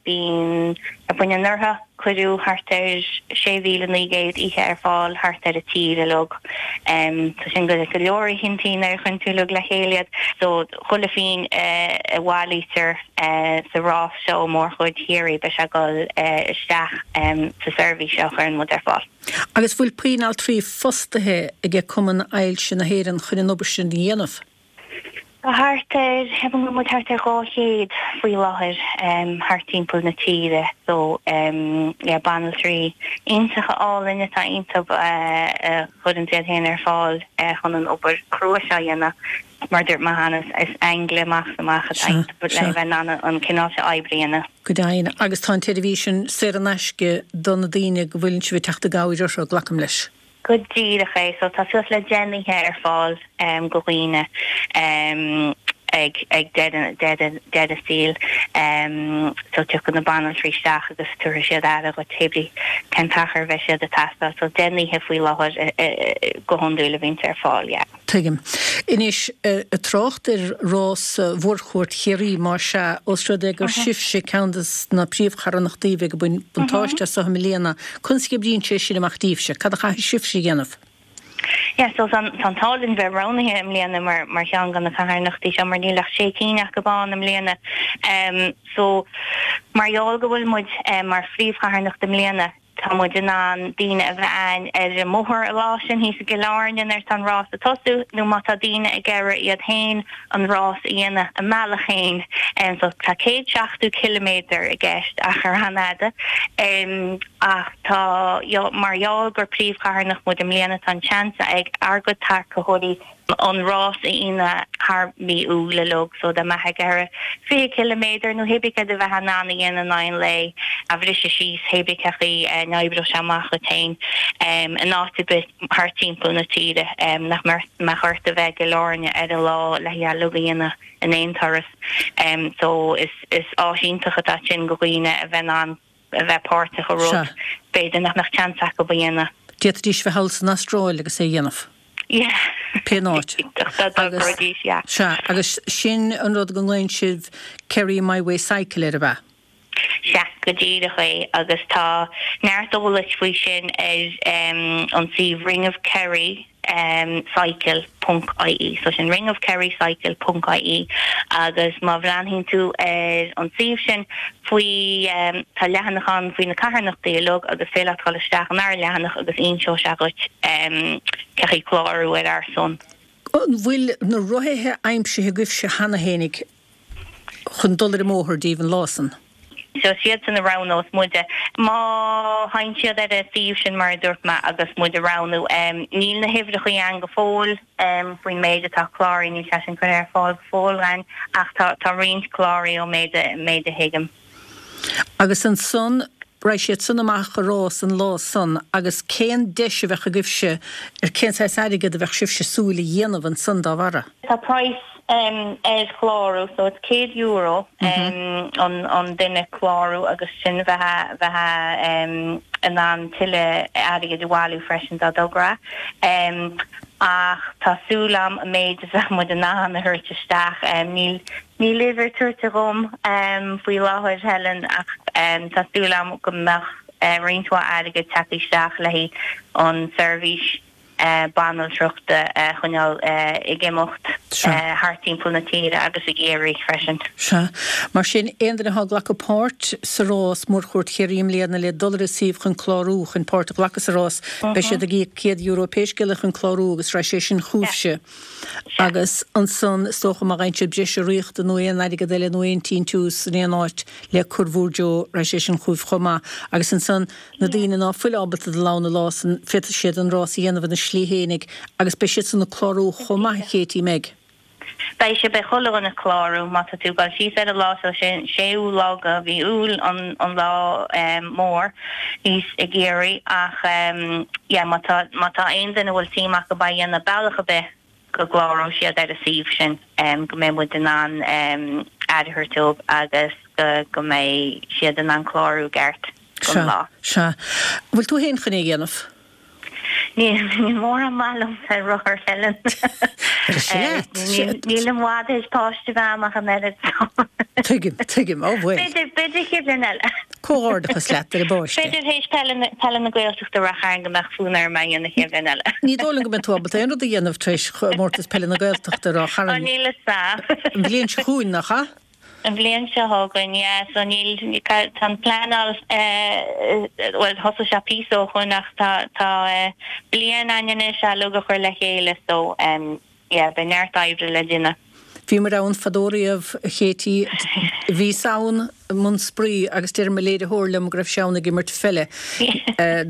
bíonn, ar bun anuraidh cuireadh thart ar 6,900 oíche ar fáil thart ar an tír uilig. So sin go leor oícheantaí nuair a chuireann tú uilig le chéile iad. So chuile phingin a bhailítear sa rás seo ó Mhórchuaird Chiarraí beidh sé ag dul isteach sa seirbhís seo a chuireann muid ar fáil. Agus bhfuil puinn altraí fostaithe aige Cumann Ailse na hÉireann chun an obair sin a dhéanamh? Tá thart ar, ceapaim go bhfuil muid thart ar 200 faoi láthair thart timpeall na tíre so yeah banaltraí iontacha álainn atá iontu a chuireann iad féin ar fáil chun an obair chrua seo a dhéanamh. Mar a dúirt mé cheana, is aingil amach is amach atá iontu le bheith in ann an cineál seo oibre a dhéanamh. Go deimhin. Agus tá an tseirbhís sin saor in aisce do na daoine go bhfuileann sibh ag teacht i gcabhair orthu, glacaim leis. Go díreach é. So tá suas le 10 n-oíche ar fáil go dhaoine ag ag deireadh deireadh a saoil. So tiocfaidh na banaltraí isteach agus tabharfaidh siad aire dhuit pé brí cén t-achar a bheidh siad ag teastáil. So 10 n-oíche faoi láthair go hiondúil a bhíonns ar fáil, yeah. Tuigim. Anois, ag trácht ar rás Mhórchuaird Chiarraí, más ea, ós rud é gur sibhse ceann de na príomhcharthanachtaí a bheidh ag baint buntáiste as i mbliana, conas a oibríonn sé sin amach daoibhse? Cad a chaithfidh sibhse a dhéanamh? Yeah, so tá an t-ádh linn bheith roghnaithe i mbliana mar mar cheann de na carthanachtaí seo mar níl ach sé cinn acu ann i mbliana. So, mar gheall go bhfuil muid mar phríomhcharthanacht i mbliana, Tá muid in ann daoine a bheith a'ainn ar an mbóthar an lá sin thíos i gCill Airne nuair atá an rás ag tosú nó má tá daoine ag iarraidh iad féin an rás a dhéanamh a mbealach féin. So tá 170 ciliméadar i gceist, achar an-fhada. Ach tá, mar gheall gur príomhcharthanacht muid i mbliana tá an seans ag ár gcuid tacaitheoirí an rás a dhéanamh thar mí Iúil uilig so dá mbeifeá ag iarraidh 20 ciliméadar nó hébrí céard a bheifeá in ann a dhéanamh in aghaidh an lae a bhriseadh síos hébrí cén chaoi a n-oibreodh sé amach dhuit féin in áit ar bith thart timpeall na tíre nach mbeadh ort a bheith i gCill Airne ar an lá le é uilig a dhéanamh in aon turas so is áis iontach atá ansin go dhaoine a bheith in ann a bheith páirteach i rud b'fhéidir nach mbeadh seans acu a dhéanamh. D'fhéadfaidís bheith thall san Astráil agus é a dhéanamh. Yeah. Pé áit. Dá dtogróidís, yeah. Sea, agus sin an rud go nglaonn sibh Kerry My Way Cycle air, ab ea? Sea, go díreach é, agus tá neart eolais faoi sin ar an suíomh Ring of Kerry. cycle ponc ie so sin ringofkerrycycle ponc ie agus má bhreathnaíonn tú ar an suíomh sin faoi tá leathanach ann faoi na carthanachtaí uilig agus féidir leat dul isteach inár leathanach agus inseoidh sé dhuit cé chaoi clárú ar ár son. An bhfuil na rothaithe aimsithe agaibhse cheana fhéinig? chun dul ar an mbóthar daoibh an lá san. So is iadsan a roghnós muide. Má théann siad ar an suíomh sin mar a dúirt mé agus muid a roghnú, níl na huimhreachaí ann go fóill faoin méid atá cláraithe, níl sé sin curtha ar fáil go fóill againn ach tá tá roinnt cláraithe ó méid a méid a thuigim. Agus ansan raghaidh siad san amach a rás an lá san agus cén deis a bheadh agaibhse ar cén saghas airgead a bheadh sibhse súil a dhéanamh ansan dá bharra? Tá praghas ar chlárú so it's €100 an duine clárú agus sin bheifeá bheifeá in ann tuilleadh airgid a bhailiú freisin dá dtogra. Ach tá súil a'm an méid a bheadh muid in ann a thabhairt isteach níl Níl uimhir tuillte dhom faoi láthair, Helen, ach tá súil a'm go mbeadh roinnt mhaith airgid tagtha isteach le haghaidh an seirbhís banaltrachta a choinneáil ag imeacht thart timpeall na tíre agus i gCiarraí freisin. Sea. Mar sin, aon duine atá ag glacadh páirt sa rás Mórchuaird Chiarraí i mbliana le dul ar an suíomh chun clárú chun páirt a ghlacadh sa rás, beidh siad ag íoc €100 pé scéal é chun clárú agus raghaidh sé sin chugaibhse. Agus ansan, is dócha, má fhaigheann siad breis urraíochta nó aon airgead eile nó aon tsíntiús in aon áit le cur bhúr dtreo, raghaidh sé sin chugaibh chomh maith. Agus ansan, na daoine ná fuil ábalta dul ann an lá san, féadfaidh siad an rás a dhéanamh ina slí fhéinig agus beidh siad san ag clárú chomh maith, a Katie, an mbeidh? Beidh sé, beidh chuile dhuine ag clárú má tá tú ag dul síos ar an lá so sé an séú lá de mhí Iúil an an lá mór thíos i gCiarraí ach yeah má tá má tá aon duine a bhfuil suim acu á dhéanamh bealach ar bith go gcláróidh siad ar an suíomh sin go mbeidh muid in ann aire a thabhairt dóibh agus go go mbeidh siad in ann clárú i gceart don Sea, lá. sea. Bhfuil tú féin chun é a dhéanamh? Níl mórán maith liomsa ar rothar, Helen. Níl i bhfad théis páiste a bheith a'm ach an oiread so. Tuigim, tuigim, ó bhuel. B'fhéidir, b'fhéidir chéad bhliain eile. Comhghairdeachas leat ar an bpáiste. B'fhéidir théis peile na Gaeltachta Rath Chairn go mbeadh fonn orm é a dhéanamh chéad bhliain eile. Ní dóigh liom go mbeidh tú ábalta aon rud a dhéanamh tar éis chomórtas peile na Gaeltachta Ráth Chairn. Ó níl fhios a'm. An bhliain seo chugainn, nach ea? An bhliain seo chugainn, yeah, so níl, tá an pleanáil, bhuel thosaigh sé píosa ó shoin ach tá, tá bliain againn anois é uilig a chur le chéile so yeah, beidh neart oibre le déanamh. Bhíomar ann fadó riamh, a Chéití, bhíos ann i mbun spraoi agus deir mo léiritheoir liom go raibh sé ann ag imirt pheile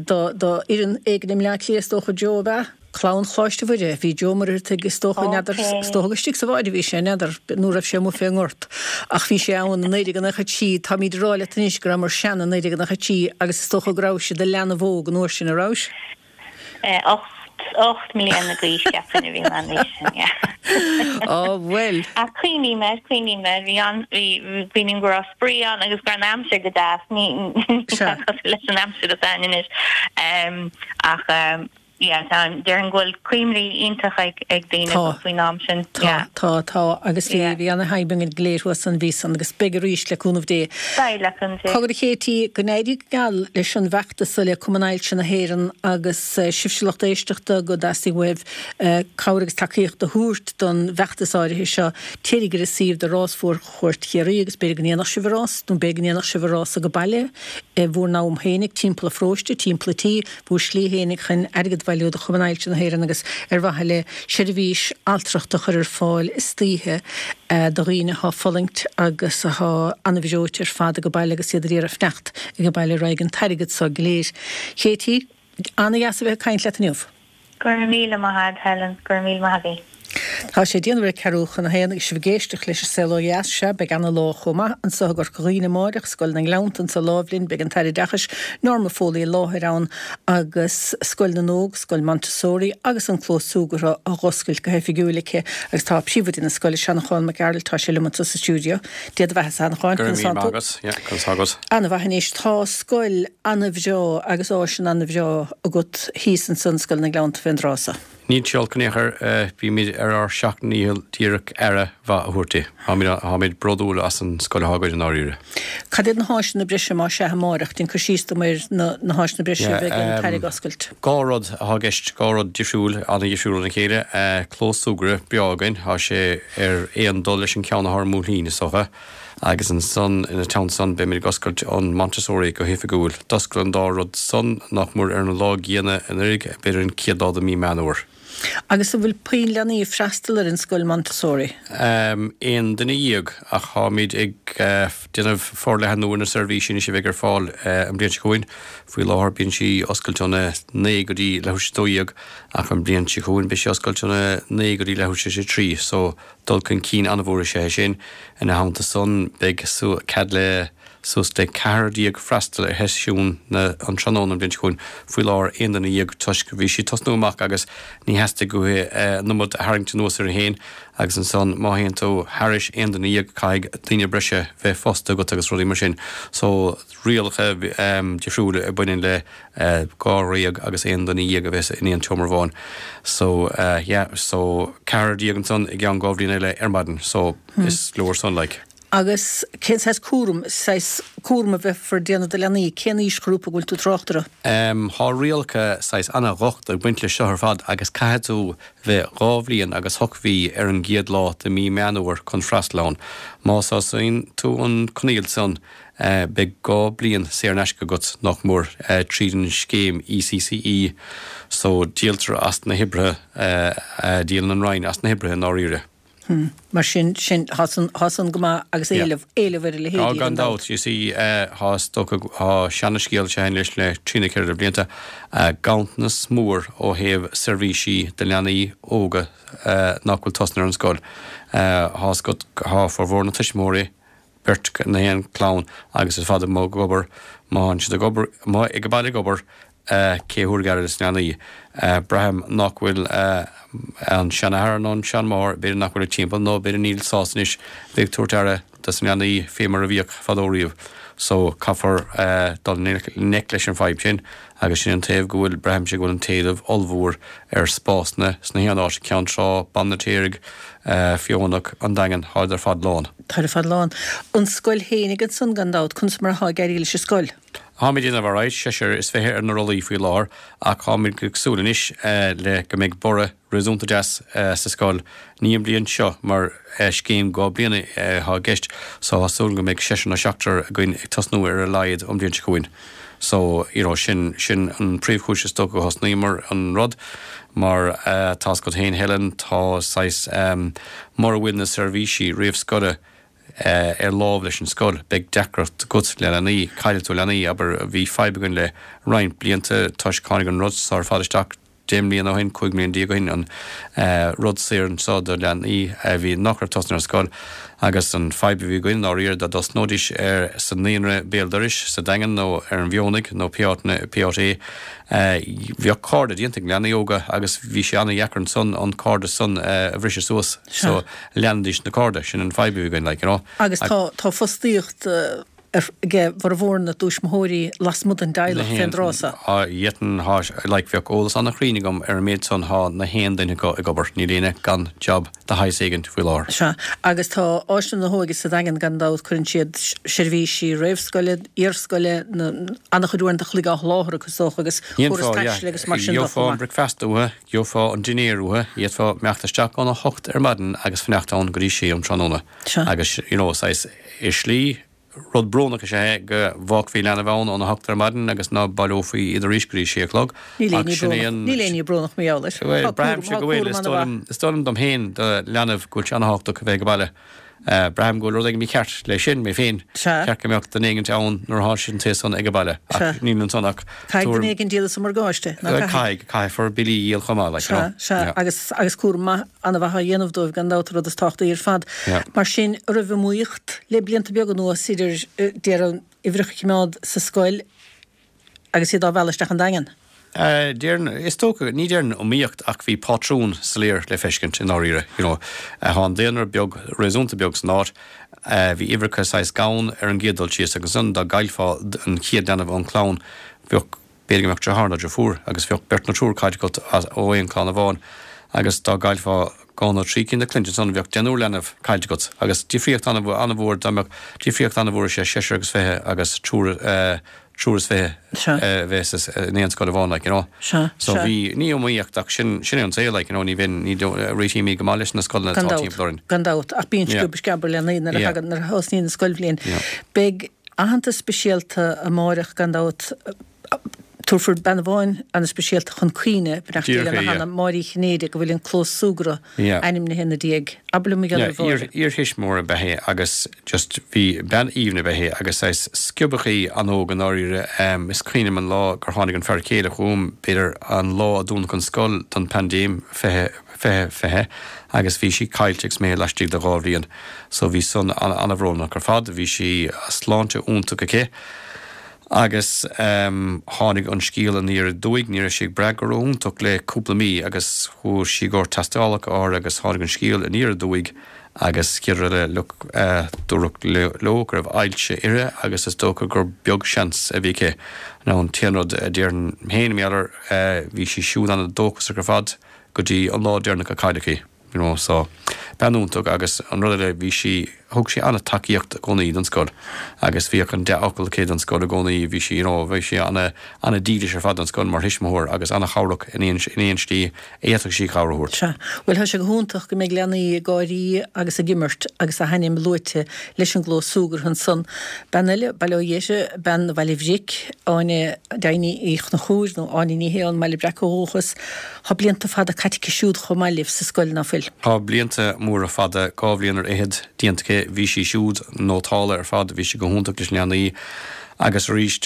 do, do fhoireann éigin i mBleá Cliath is dócha, Joe, ab ea? Clann Choláiste Mhuire. Bhí Joe Muircheartaigh is dócha, n'fheadar, is dócha gur istigh sa bhád a bhí sé, n'fheadar, nó raibh sé amuigh fén ngort. Ach bhí sé ann i 1993, táimíd ag rá leat anois go rabhamar sean i 1993 agus is dócha go rabhais i do leanbh óg an uair sin, a rabhais? 8, 8 mbliana d'aois cheapfainn a bhí mé an uair sin, yeah. Á bhuel. Ach cuimhním air, cuimhním air, bhí an, bhí, cuimhním go raibh spraoi ann agus go raibh an aimsir go deas, ní, ní cosúil leis an aimsir atá ann anois. Ach yeah, tá, déarfainn go bhfuil cuimhní iontach ag ag daoine Tá. faoin am sin. Tá, Yeah. tá, tá agus bhí, Yeah. bhí ana-thaitneamh againn go léir thuas an mhí san agus beidh arís le cúnamh Dé. Beidh le cúnamh Dé. Cogar a Chéití, go n-éirí go geal leis an bhfeachtas so le Cumann Ailse na hÉireann agus sibhse lucht éisteachta go dteastaíonn uaibh cabhair agus tacaíocht a thabhairt don bhfeachtas áirithe seo, téiríg ar an suíomh do Rás Mhórchuairt Chiarraí agus b'fhéidir go ndéanfadh sibh an rás nó b'fhéidir go ndéanfadh sibh an rás age baile i bhur n-am fhéinig, timpeall an pharóiste, timpeall an tí, bhur slí fhéinig chun airgead a bhailiú do Chumann Ailse na hÉireann agus ar mhaithe le seirbhís altrachta a chur ar fáil istoíche do dhaoine atá ag fulaingt agus atá an-bhreoite ar fad age baile agus iad ar iarraidh fanacht age baile raghaidh an t-airgead so go léir. Katie, Ana-dheas a bheith ag caint leat inniu. Go raibh míle maith agat, Helen. Go raibh míle maith agat. Tá sé ag déanamh ar ceathrú chun a haon agus sibh ag éisteacht leis an Saol Ó Dheas. Sea, beidh ana-lá chomh maith anso i gCorca Dhuibhne amáireach, Scoil na nGleannta anso láimh linn, beidh an tAire Oideachais, Norma Foley i láthair ann agus Scoil na nÓg, Scoil Montessori agus an clós súgartha á dh'oscailt go hoifigiúil aici agus tá príomhoide na scoile, Seanchán Mac Gearailt, tá sé liom anso sa stiúideo. Dia do bheatha, a Sheanacháin, Go raibh conas míle tánn maith tú? agat, yeah, conas tá agat? Ana-mhaith anois. Tá scoil ana-bhreá agus áiseanna ana-bhreá agat thíos ansan, Scoil na nGleannta fén dtráth so. Níl sé olc in aon chor, bímid ar ár seacht ndícheall díreach aire mhaith a thabhairt di. Táimid, táimid bródúil as an scoil atá againn i ndáiríre. Cad iad na háiseanna breise más ea amáireach? Déan cur síos dom ar na na háiseanna breise a bheidh an tAire ag oscailt. Dhá rud atá i gceist, dhá rud difriúil, an-dhifriúil óna chéile. Clós súgartha breá againn, tá sé ar aon dul leis an ceann atá ar an mBóithrín, is dócha. Agus ansan, ina theannta san, beimid ag oscailt an Montessori go hoifigiúil. D'oscail an dá rud san, nach mór ar an lá gcéanna anuraidh, b'fhéidir an chéad lá de mí Meán Fhómhair. Agus an bhfuil puinn leanaí ag freastal ar an scoil Montessori? Aon duine dhéag, ach táimid ag déanamh forleathnú ar na seirbhísí anois a bheidh ar fáil an bhliain seo chugainn. Faoi láthair bíonn sí oscailte óna naoi go dtí leathuair tar éis a 12, ach an bhliain seo chugainn beidh sí oscailte óna naoi go dtí leathuair tar éis a trí. So, Dul chun cinn an-mhór is ea é sin. Ina theannta san, beidh cead le suas le ceathrar freastal ar sheisiúin an tráthnóna an bhliain seo chugainn. Faoi láthair, aon duine dhéag toisc bhí sí ag tosnú amach agus ní theastaigh uaithi an iomad a tharraingt anuas uirthi féin agus ansan má théann tú thairis aon duine dhéag caithfidh daoine breise bheith fostaithe agat agus rudaí mar sin. So, rialacha difriúla a bhaineann le dháréag agus aon duine dhéag a bheith in aon tseomra amháin. So, yeah, so 14 ansan i gceann dhá bhliain eile ar maidin. So, is leor san, like. Agus cén saghas cúram, saghas cúram a bheifear ag déanamh do leanaí, cén aoisghrúpa a bhfuil tú ag trácht orthu? Thá rialacha saghas ana-dhocht ag baint leis seo ar fad agus caithfidh tú bheith dhá bhliain agus ocht mhí ar an gcéad lá de mí Meán Fhómhair chun freastal ann. Má sásaíonn tú an coinníoll san, Beidh dhá bliain saor in aisce agat, nach mór, tríd an scéim ECCE so díoltar as na hoibrithe, díolann an Roinn as na hoibrithe i ndáiríre. Mar sin, sin, thá san, thá san go maith agus éileamh, éileamh ar a leithéidí gan dabht. Gan dabht, you see, thá, is dócha, thá seana-scéal seo anois le trí nó ceithre blianta, ganntanas mór ó thaobh seirbhísí do leanaí óga nach bhfuil tosnaithe ar an scoil. Thá 's agat, thá formhór na tuismitheoirí, beirt na haon clann agus ar fad amuigh ag obair, má thánn siad ag obair, amuigh ag baile ag obair, cé thabharfaidh aire dos na leanaí? Braithim nach bhfuil an seanathair nó an seanmháthair, b'fhéidir nach bhfuil timpeall nó b'fhéidir níl sásta anois bheith ag tabhairt aire dos na leanaí fé mar a bhíodh fadó riamh. So caithfear dul i ngleic leis an fadhb sin agus sin an taobh go bhfuil, braithimse go bhfuil an t-éileamh ollmhór ar spásanna sna haon áit, Ceann Trá, Baile an Fheirtéaraigh, Feothanach, An Daingean, tháid ar fad lán. Táid ar fad lán. An scoil fhéinig ansan gan dabht, conas mar athá ag éirí leis an scoil? Táimid ag déanamh alright, seisear is 20 ar na rollaí faoi láthair ach táimid ag súil anois le go mbeidh borradh réasúnta deas sa scoil, ní an bhliain seo mar scéim 2 bliana atá i gceist so tá súil go mbeidh seisear nó seachtar againn ag tosnú ar a laghad an bhliain seo chugainn. So, you know, sin, sin an príomhchúis is dócha go thosnaíomar an rud mar tá's agat féin Helen, tá saghas, mura bhfuil na seirbhísí réamhscoile ar láimh leis an scoil, beidh deacracht agat le leanaí, caillfidh tú leanaí, abair, bhí fadhb againn le roinnt blianta toisc tháinig an rud so ar fad isteach 10 mbliana ó shin, 15 mbliana ó shin, an rud saor anso do leanaí a bhí, nach raibh tosnaithe ar scoil agus an fadhb a bhí againn dáiríre dá dtosnóidís ar, sa naíonra béal dorais sa Daingean nó ar an bhFeothanaigh nó pé áit, pé áit é, bheadh cairde déanta ag leanaí óga agus bhí sé an-dheacair ansan an cairdeas san a bhriseadh suas so leanfaidís na cairde, sin an fadhb a bhí againn like, you know. Agus tá, tá fostaíocht ag formhór na dtuismitheoirí lasmuigh den dteaghlach fén dtráth so. Á, dhéanfainn, thá, like, bheadh eolas an-chruinn agam ar an méid san, thá na haon duine acu ag obair, níl éinne gan job de shaghas éigint faoi láthair. Sea, agus tá Áislann na hÓige sa Daingean gan dabht, cuireann siad seirbhísí réamhscoile, iarscoile, na, an-chuid uaireanta a chloig á sholáthar acu is dócha agus córas taistil agus mar sin de chomh maith. Gheofá an bricfeasta uathu, gheofá an dinnéar uathu, d'fhéadfá imeacht isteach óna hocht ar maidin agus fanacht ann go dtí sé um tráthnóna. Agus, you know, saghas, i slí, rud brónach is ea é go bhfágfaí leanbh ann óna hocht ar maidin agus ná baileofaí iad arís go dtí sé a chlog. Níl éinne brónach, níl éinne brónach mar gheall air. Bhuel, braithimse go bhfuil, is dóigh liom, is dóigh liom dom féin, do leanbh, go bhfuil sé an-thábhachtach a bheith ag baile. Braithim go bhfuil rud éigin mícheart le sin, mé féin. Ceart go mbeadh duine éigint ann nuair atá siad an taos san ag baile, ach níl ansan ach Caithfidh duine éigin díol sa morgáiste, ná caithfidh? Caithfidh, caithfear billí a dhíol chomh maith, like, you know. Sea, sea, agus, agus cúram maith, an-mhaith á dhéanamh dóibh gan dabht, an rud is tábhachtaí ar fad. Mar sin, an raibh iomaíocht le blianta beaga anuas idir, déarfainn, uimhreacha a choimeád sa scoil agus iad á mhealladh isteach an Daingean? Déarfainn, is dócha, ní déarfainn iomaíocht ach bhí pátrún soiléir le feiscint i ndáiríre, you know. Thá an daonra beag, réasúnta beag san áit, bhí uimhreacha saghas gann ar an gcéad dul síos agus ansan dá gcaillfeá an chéad leanbh ón chlann, bheadh, b'fhéidir go mbeadh deartháir nó deirfiúr agus bheadh beirt nó triúr caillte agat ó aon chlann amháin agus dá gcaillfeá dhá nó trí cinn de chlainn ansan bheadh deichniúr leanbh caillte agat agus difríocht an-mhór dá mbeadh difríocht an-mhór is ea seisear agus fiche agus triúr, triúr is fiche a bheith in aon scoil amháin, like, you know. Sea, So sea. bhí, ní iomaíocht ach sin, sin é an saol, like, you know, ní bheinn, ní réitímid go maith leis na scoileanna Gan atá dabht, timpeall orainn. gan dabht, ach bíonn Yeah. sciob sceab ar leanaí nuair a Yeah. thagann, nuair a thosnaíonn an scoilbhliain. Yeah. Beidh aitheantas speisialta amáireach gan dabht, tabharfar bean amháin an-speisialta chun cuimhne, beannacht Dé lena hanam, Máire Uí Chinnéide, go bhfuil an clós súgartha ainmnithe ina diaidh. Abair liom mar gheall ar Mháire. Iar-thuismitheoir ab ea é agus just bhí bean aoibhinn ab ea é agus saghas sciobadh í an-óg i ndáiríre. Is cuimhin liom an lá gur tháinig an fear céile chugam, b'fhéidir an lá a dúnadh an scoil don paindéim 20, 20, 20 agus bhí sí caillte agus mé laistigh de dhá bhliain. So bhí san an-bhrónach ar fad. Bhí sí, sláinte iontach aici. Agus tháinig an scéal aniar aduaidh, ní raibh sí ag brath go ró-iontach le cúpla mí agus chuaigh sí i gcomhair tástálacha áirithe agus tháinig an scéal aniar aduaidh agus chéad rud eile, look, dúradh leo go raibh ailse uirthi agus is dócha gur beag seans a bhí aici. Now an t-aon rud a déarfainn féin, mar gheall air, bhí sí siúd an-dóchasach ar fad go dtí an lá deireanach a cailleadh í. You know, so, bean iontach agus an rud eile, bhí sí. thug sí an-tacaíocht i gcónaí don scoil agus bhíodh an dea-fhocal aici don scoil i gcónaí, bhí sí, you know, bhí sí an-dílis ar fad don scoil mar thuismitheoir agus an-chabhrach in aon, in aon slí a fhéadfadh sí cabhair a thabhairt. Sea. Bhuel, tá sé go hiontach go mbeidh leanaí ag gáirí agus ag imirt agus a hainm luaite leis an gclós súgartha ansan. Bean eile, bail ó Dhia uirthi, bean Bhaile Bhric, Áine Deimhní Uí Chonchúir, nó Áine Ní Shé ón mBaile Breac ó dhúchas, Tá blianta fada caite aici siúd chomh maith libh sa scoil, ná fuil? Tá blianta móra fada, 2 bhliain ar fhichead, déanta aici. Bhí sí siúd nótálta ar fad, bhí sí go hiontach leis na leanaí agus arís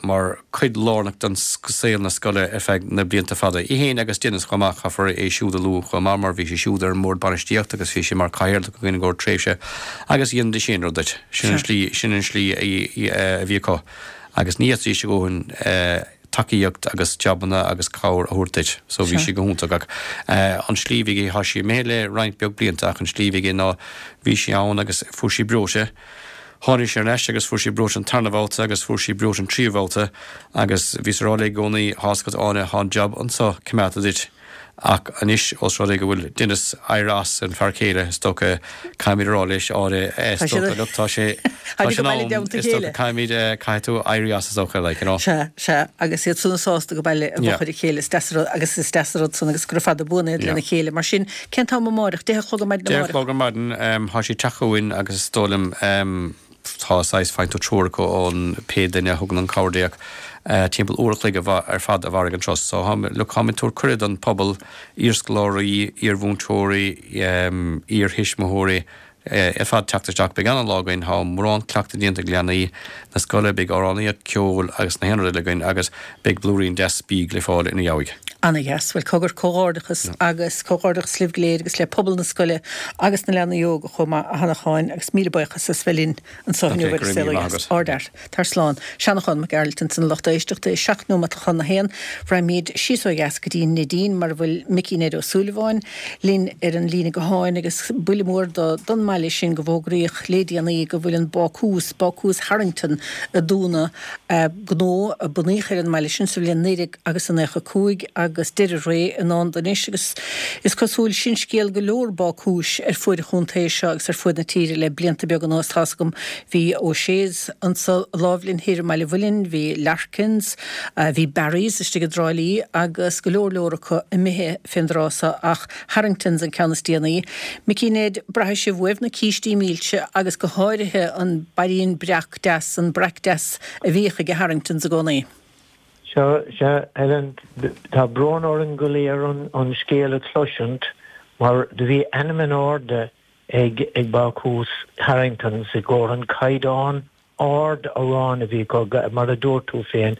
mar cuid lárnach den saol na scoile ar feadh na blianta fada. Í fhéin agus Denis chomh maith, caithfear é siúd a lua chomh maith mar bhí sé siúd ar an mbord bainistíochta agus bhí sé mar cathaoirleach againn i gcomhair tréimhse agus dhéanfaidís aon rud duit. Sin an slí, sin an slí a bhí acu agus ní fhéadfaidís a dhóthain tacaíocht agus jabanna agus cabhair a thabhairt duit. So bhí sí go hiontach ach an slí a bhí aici, tá sí imithe le roinnt beag blianta ach an slí a bhí aici ná bhí sí ann agus fuair sí breoite, tháinig sí ar ais agus fuair sí breoite an tarna bhabhta agus fuair sí breoite an tríú bhabhta agus bhíos a rá léi i gcónaí, tá's agat Áine, tá an jab anso coimeádta duit. Ach anois, ós rud é go bhfuil Denis éirithe as, an fear céile, is dócha, caithfimid a rá leis, Áine, is dócha, look, tá sé, tá sé in am, is dócha, caithfimid, caithfidh tú éirí as, is dócha, like, you know. Sea, sea, agus iad san sásta go baile i bhfochair a chéile, is deas an rud, agus is deas an rud san, agus gura fada buan iad lena chéile. Mar sin, cén t-am amáireach? 10 a chlog ar maidin amáireach? 10 a chlog ar maidin, tá sí ag teacht chugainn agus is dóigh liom, Tá saghas, faigheann tú treoracha ón pé duine a thugann an cabhair timpeall uair a chloig ar fad a mhairfidh an turas. So look, táimid ag tabhairt cuireadh don phobal, iarscoláirí, iarmhúinteoirí, iarthuismitheoirí, ar fad teacht isteach. Beidh an-lá againn, tá mórán cleachtadh déanta ag leanaí na scoile, beidh amhránaíocht, ceol agus na haon rud eile againn agus beidh blúirín deas bídh le fáil ina dheabhaidh. Ana-dheas. Bhuel, cogar, comhghairdeachas agus comhghairdeachas libh go léir agus le pobal na scoile agus na leanaí óga chomh maith, a Sheanacháin, agus míle buíochas as bheith linn anseo inniu ar An Saol Ó Dheas. Ardfhear. Tar slán. Seanachán Mac Gearailt ansan a lucht éisteachta, 7 nóimeat chun a haon. Raghaimid síos ó dheas go dtí an Neidín mar a bhfuil Micí Ned Ó Súilleabháin linn ar an líne gutháin agus buille mór don mbaile sin go bhfógraíodh le déanaí go bhfuil an bácús, Bácús Harrington, ag dúnadh. Gnó a bunaíodh ar an mbaile sin sa bhliain 19 agus a 95 agus deireadh ré i ndán dó anois agus is cosúil sin scéal go leor bácúis ar fuaid an chontae seo agus ar fuaid na tíre le blianta beaga anuas. Tá's agam bhí O'Shea's anso láimh linn thoir i mBaile Mhuilinn, bhí Larkins, bhí Barry's istigh i dTrá Lí agus go leor leor acu imithe fén dtráth so ach Harrington's an ceann is déanaí. Micí Ned, braithfidh sibh uaibh na cístí milse agus go háirithe an bairín breac deas, an breac deas a bhíodh aige Harrington's i gcónaí. Sea, sea, Helen, tá brón orainn go léir an scéal a chloisint mar do bhí ainm in airde ag ag Bácús Harrington's i gcomhair an caighdeán ard aráin a bhí acu, mar a dúirt tú féin,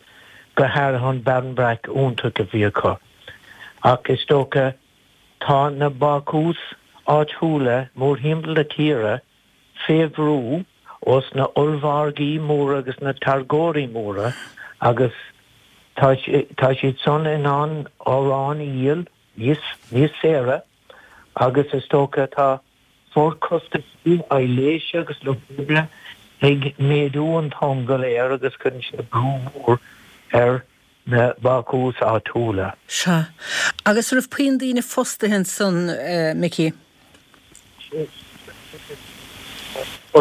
go háirithe an barmbrack iontach a bhí acu. Ach is dócha tá na bácúis áitiúla mórthimpeall na tíre fé bhrú ós na ollmhargaí móra agus na táirgeoirí móra agus tá tá siad san in ann arán a dhíol níos níos saoire agus is dócha tá forchostaisí aibhléise agus lucht oibre ag méadú an t-am go léir agus cuireann sé brú mór ar na bácúis áitiúla. Sea. Agus raibh puinn daoine fostaithe ansan, Micí?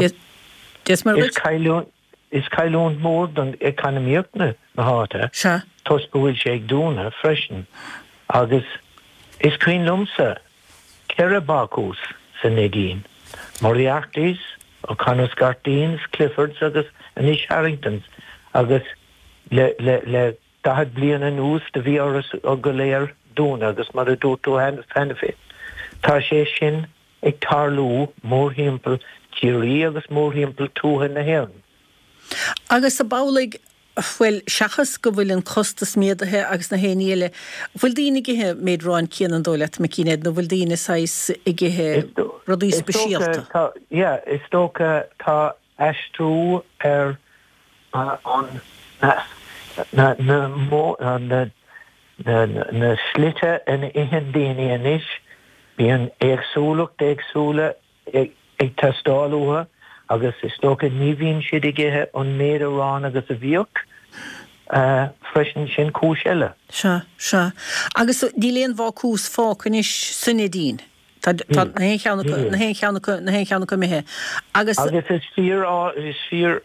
Is Is cailliúint mhór don eacnamaíocht na háite toisc go bhfuil sé ag dúnadh freisin agus is cuimhin liomsa 4 bácús sa Neidín, Moriarty's, O'Connor's Garteens, Clifford's agus anois Harrington's agus le le 40 bliain anuas do bhí orthu go léir dúnadh agus mar a dúirt tú cheana féin tá sé sin ag tarlú mórthimpeall Chiarraí agus mórthimpeall tuaithe na hÉireann. Agus ab amhlaidh, bhuel, seachas go bhfuil an costas méadaithe agus na haon ní eile, bhfuil daoine ag ithe an méid aráin céanna an dóigh leat, Micí Ned, nó bhfuil daoine saghas ag ithe rudaí speisialta? Is dócha, yeah, is dócha tá aistriú ar an, na, na, na, na slite ina itheann daoine anois, bíonn éagsúlacht éagsúla ag teastáil uathu agus is dócha ní bhíonn siad ag ithe an méid aráin agus a bhíodh freisin, sin cúis eile. Sea, sea. Agus níl aon bhácús fágtha anois sa Neidín? Tá tá na haon cheann acu, na haon cheann acu, na haon cheann acu imithe. Agus. Agus is fíor, is fíor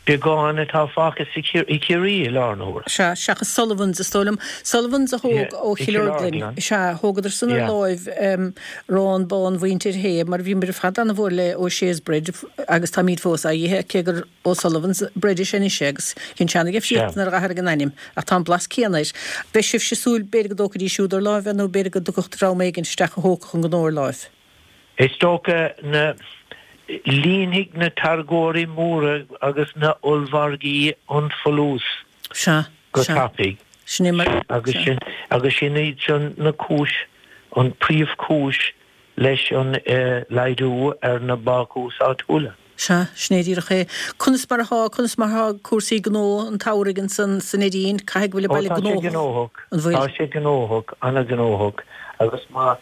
beagán atá fágtha sa i Ciarraí i láthair na huaire. Sea, seachas Sullivans, is dóigh liom. Sullivans a thóg ó Chill Orglan. Sea, thógadar san ar láimh arán bán Mhuintir Shé, mar bhíomar ar fad ana-mhór le O'Shea's Bread agus táimíd fós á ithe, cé gur O'Sullivan's Bread is é anois é agus an tseana-dhifríocht nuair a d'athraigh an ainm, ach tá an blas céanna air. Beidh sibhse ag súil b'fhéidir go dtógfaidís siúd ar láimh é nó b'fhéidir go dtiocfadh dream éigin isteach a thógfadh an gnó ar láimh. Is dócha na líonfaidh na táirgeoirí móra agus na ollmhargaí an folús Sea, go sea. tapaidh. Sin é mar, Agus sea. sin, agus sin iad sin na cúis, an príomhchúis leis an laghdú ar na bácúis áitiúla. Sea, sin é díreach é. Conas mar atá, conas mar atá cúrsaí gnó an tsamhraidh ansan sa Neidín? Caithfidh go bhfuil an baile gnóthach. Ó, tá sé gnóthach. An bhfuil? Tá sé gnóthach, an-ghnóthach. Agus má,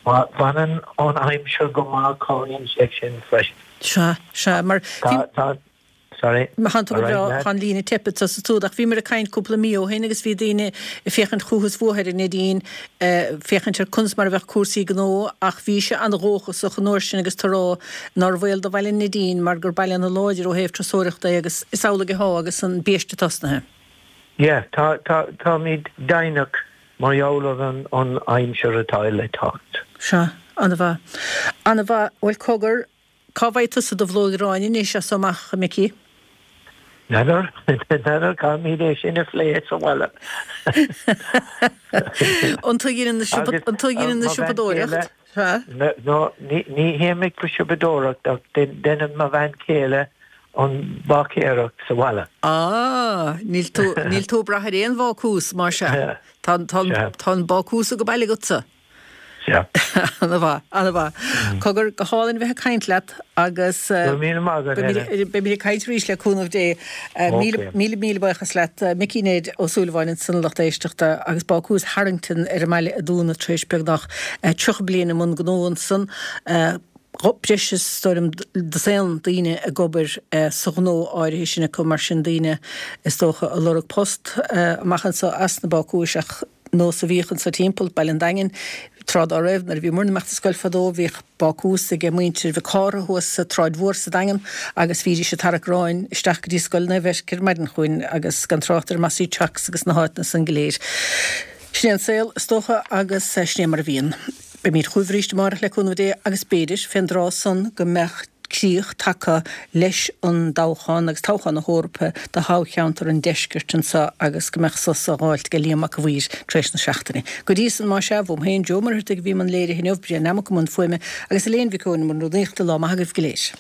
má bhfanann an aimsir go maith cabhraíonn sé sin freisin. Sea, sea, mar bhí. Tá, tá, Sorry. Tánn tú go breá, tá an líne ag teipeadh anso is ansúd ach bhíomar ag caint cúpla mí ó shin agus bhí daoine ag féachaint chucu is fúthu ar an Neidín, féachaint ar conas mar a bheadh cúrsaí gnó ach bhís an-dhóchasach an uair sin agus tú ag rá nár bhaol do bhaile an Neidín mar gur baile ana-láidir ó thaobh turasóireachta é agus is amhlaidh atá agus an biaiste tosnaithe. Yeah, tá, tá, táimid deimhneach mar gheall ar an, an aimsir atá le teacht. Sea, an-mhaith. An-mhaith. Bhuel, cogar, Cá bhfaighidh tusa do bhlóig aráin anois as so amach, a Mhicí? N'fheadar, n'fheadar, caithfimid é sin a phlé sa bhaile. An tú a dheineann na siopa, an tú a dheineann na siopadóireacht? Sea. No, ní, ní théim ag siopadóireacht ach deineann mo bhean chéile an bháicéireacht sa bhaile. Ah, níl tú, níl tú ag brath ar aon bhácús, más ea. Tá, tá, tá an bácús ag baile agatsa. Sea. Ana-mhaith, ana-mhaith. Cogar, go hálainn a bheith ag caint leat agus. Go raibh míle maith agat, Helen. Beimid ag caint arís le cúnamh Dé. Míle, míle, míle buíochas leat. Micí Ned Ó Súilleabháin ansan a lucht éisteachta agus Bácús Harrington ar an mbaile a dúnadh tar éis beagnach 30 bliain i mbun gnó ansan. Breis is, is dóigh liom, dosaen daoine ag obair sa ghnó áirithe sin acu, mar sin daoine is dócha ag lorg post amach anso as na bácúis ach nós a bhíodh anso timpeall Baile an Daingin tráth dá raibh. Nuair a bhí muirne ag imeacht ar scoil fadó bhíodh bácús ag muintir Mhic Cártha thuas sa tSráid Mhór sa Daingean agus bhídís ag tarrac aráin isteach go dtí Scoil Naomh Eirc ar maidin chugainn agus gan trácht ar Mossy Chocks agus na háiteanna san go léir. Sin é an saol, is dócha, agus sin é mar a bhíonn. Beimid chugaibh arís amárach le cúnamh Dé agus b'fhéidir, fén dtráth san, go mbeadh críoch tagtha leis an dtoghchán agus toghchán na hEorpa do thoghcheantar an deiscirt anseo agus go mbeadh sos á dh'fháilt ag Liam Mac a' Mhaoir tar éis na seachtaine. Go dtí san, más ea, uaim féin, Joe Ó Muircheartaigh a bhí i mbun léirithe inniu, Brian Nammock i mbun fuaime agus Elaine Mhic Eoin i mbun rúnaíochta, lá maith agaibh go léir.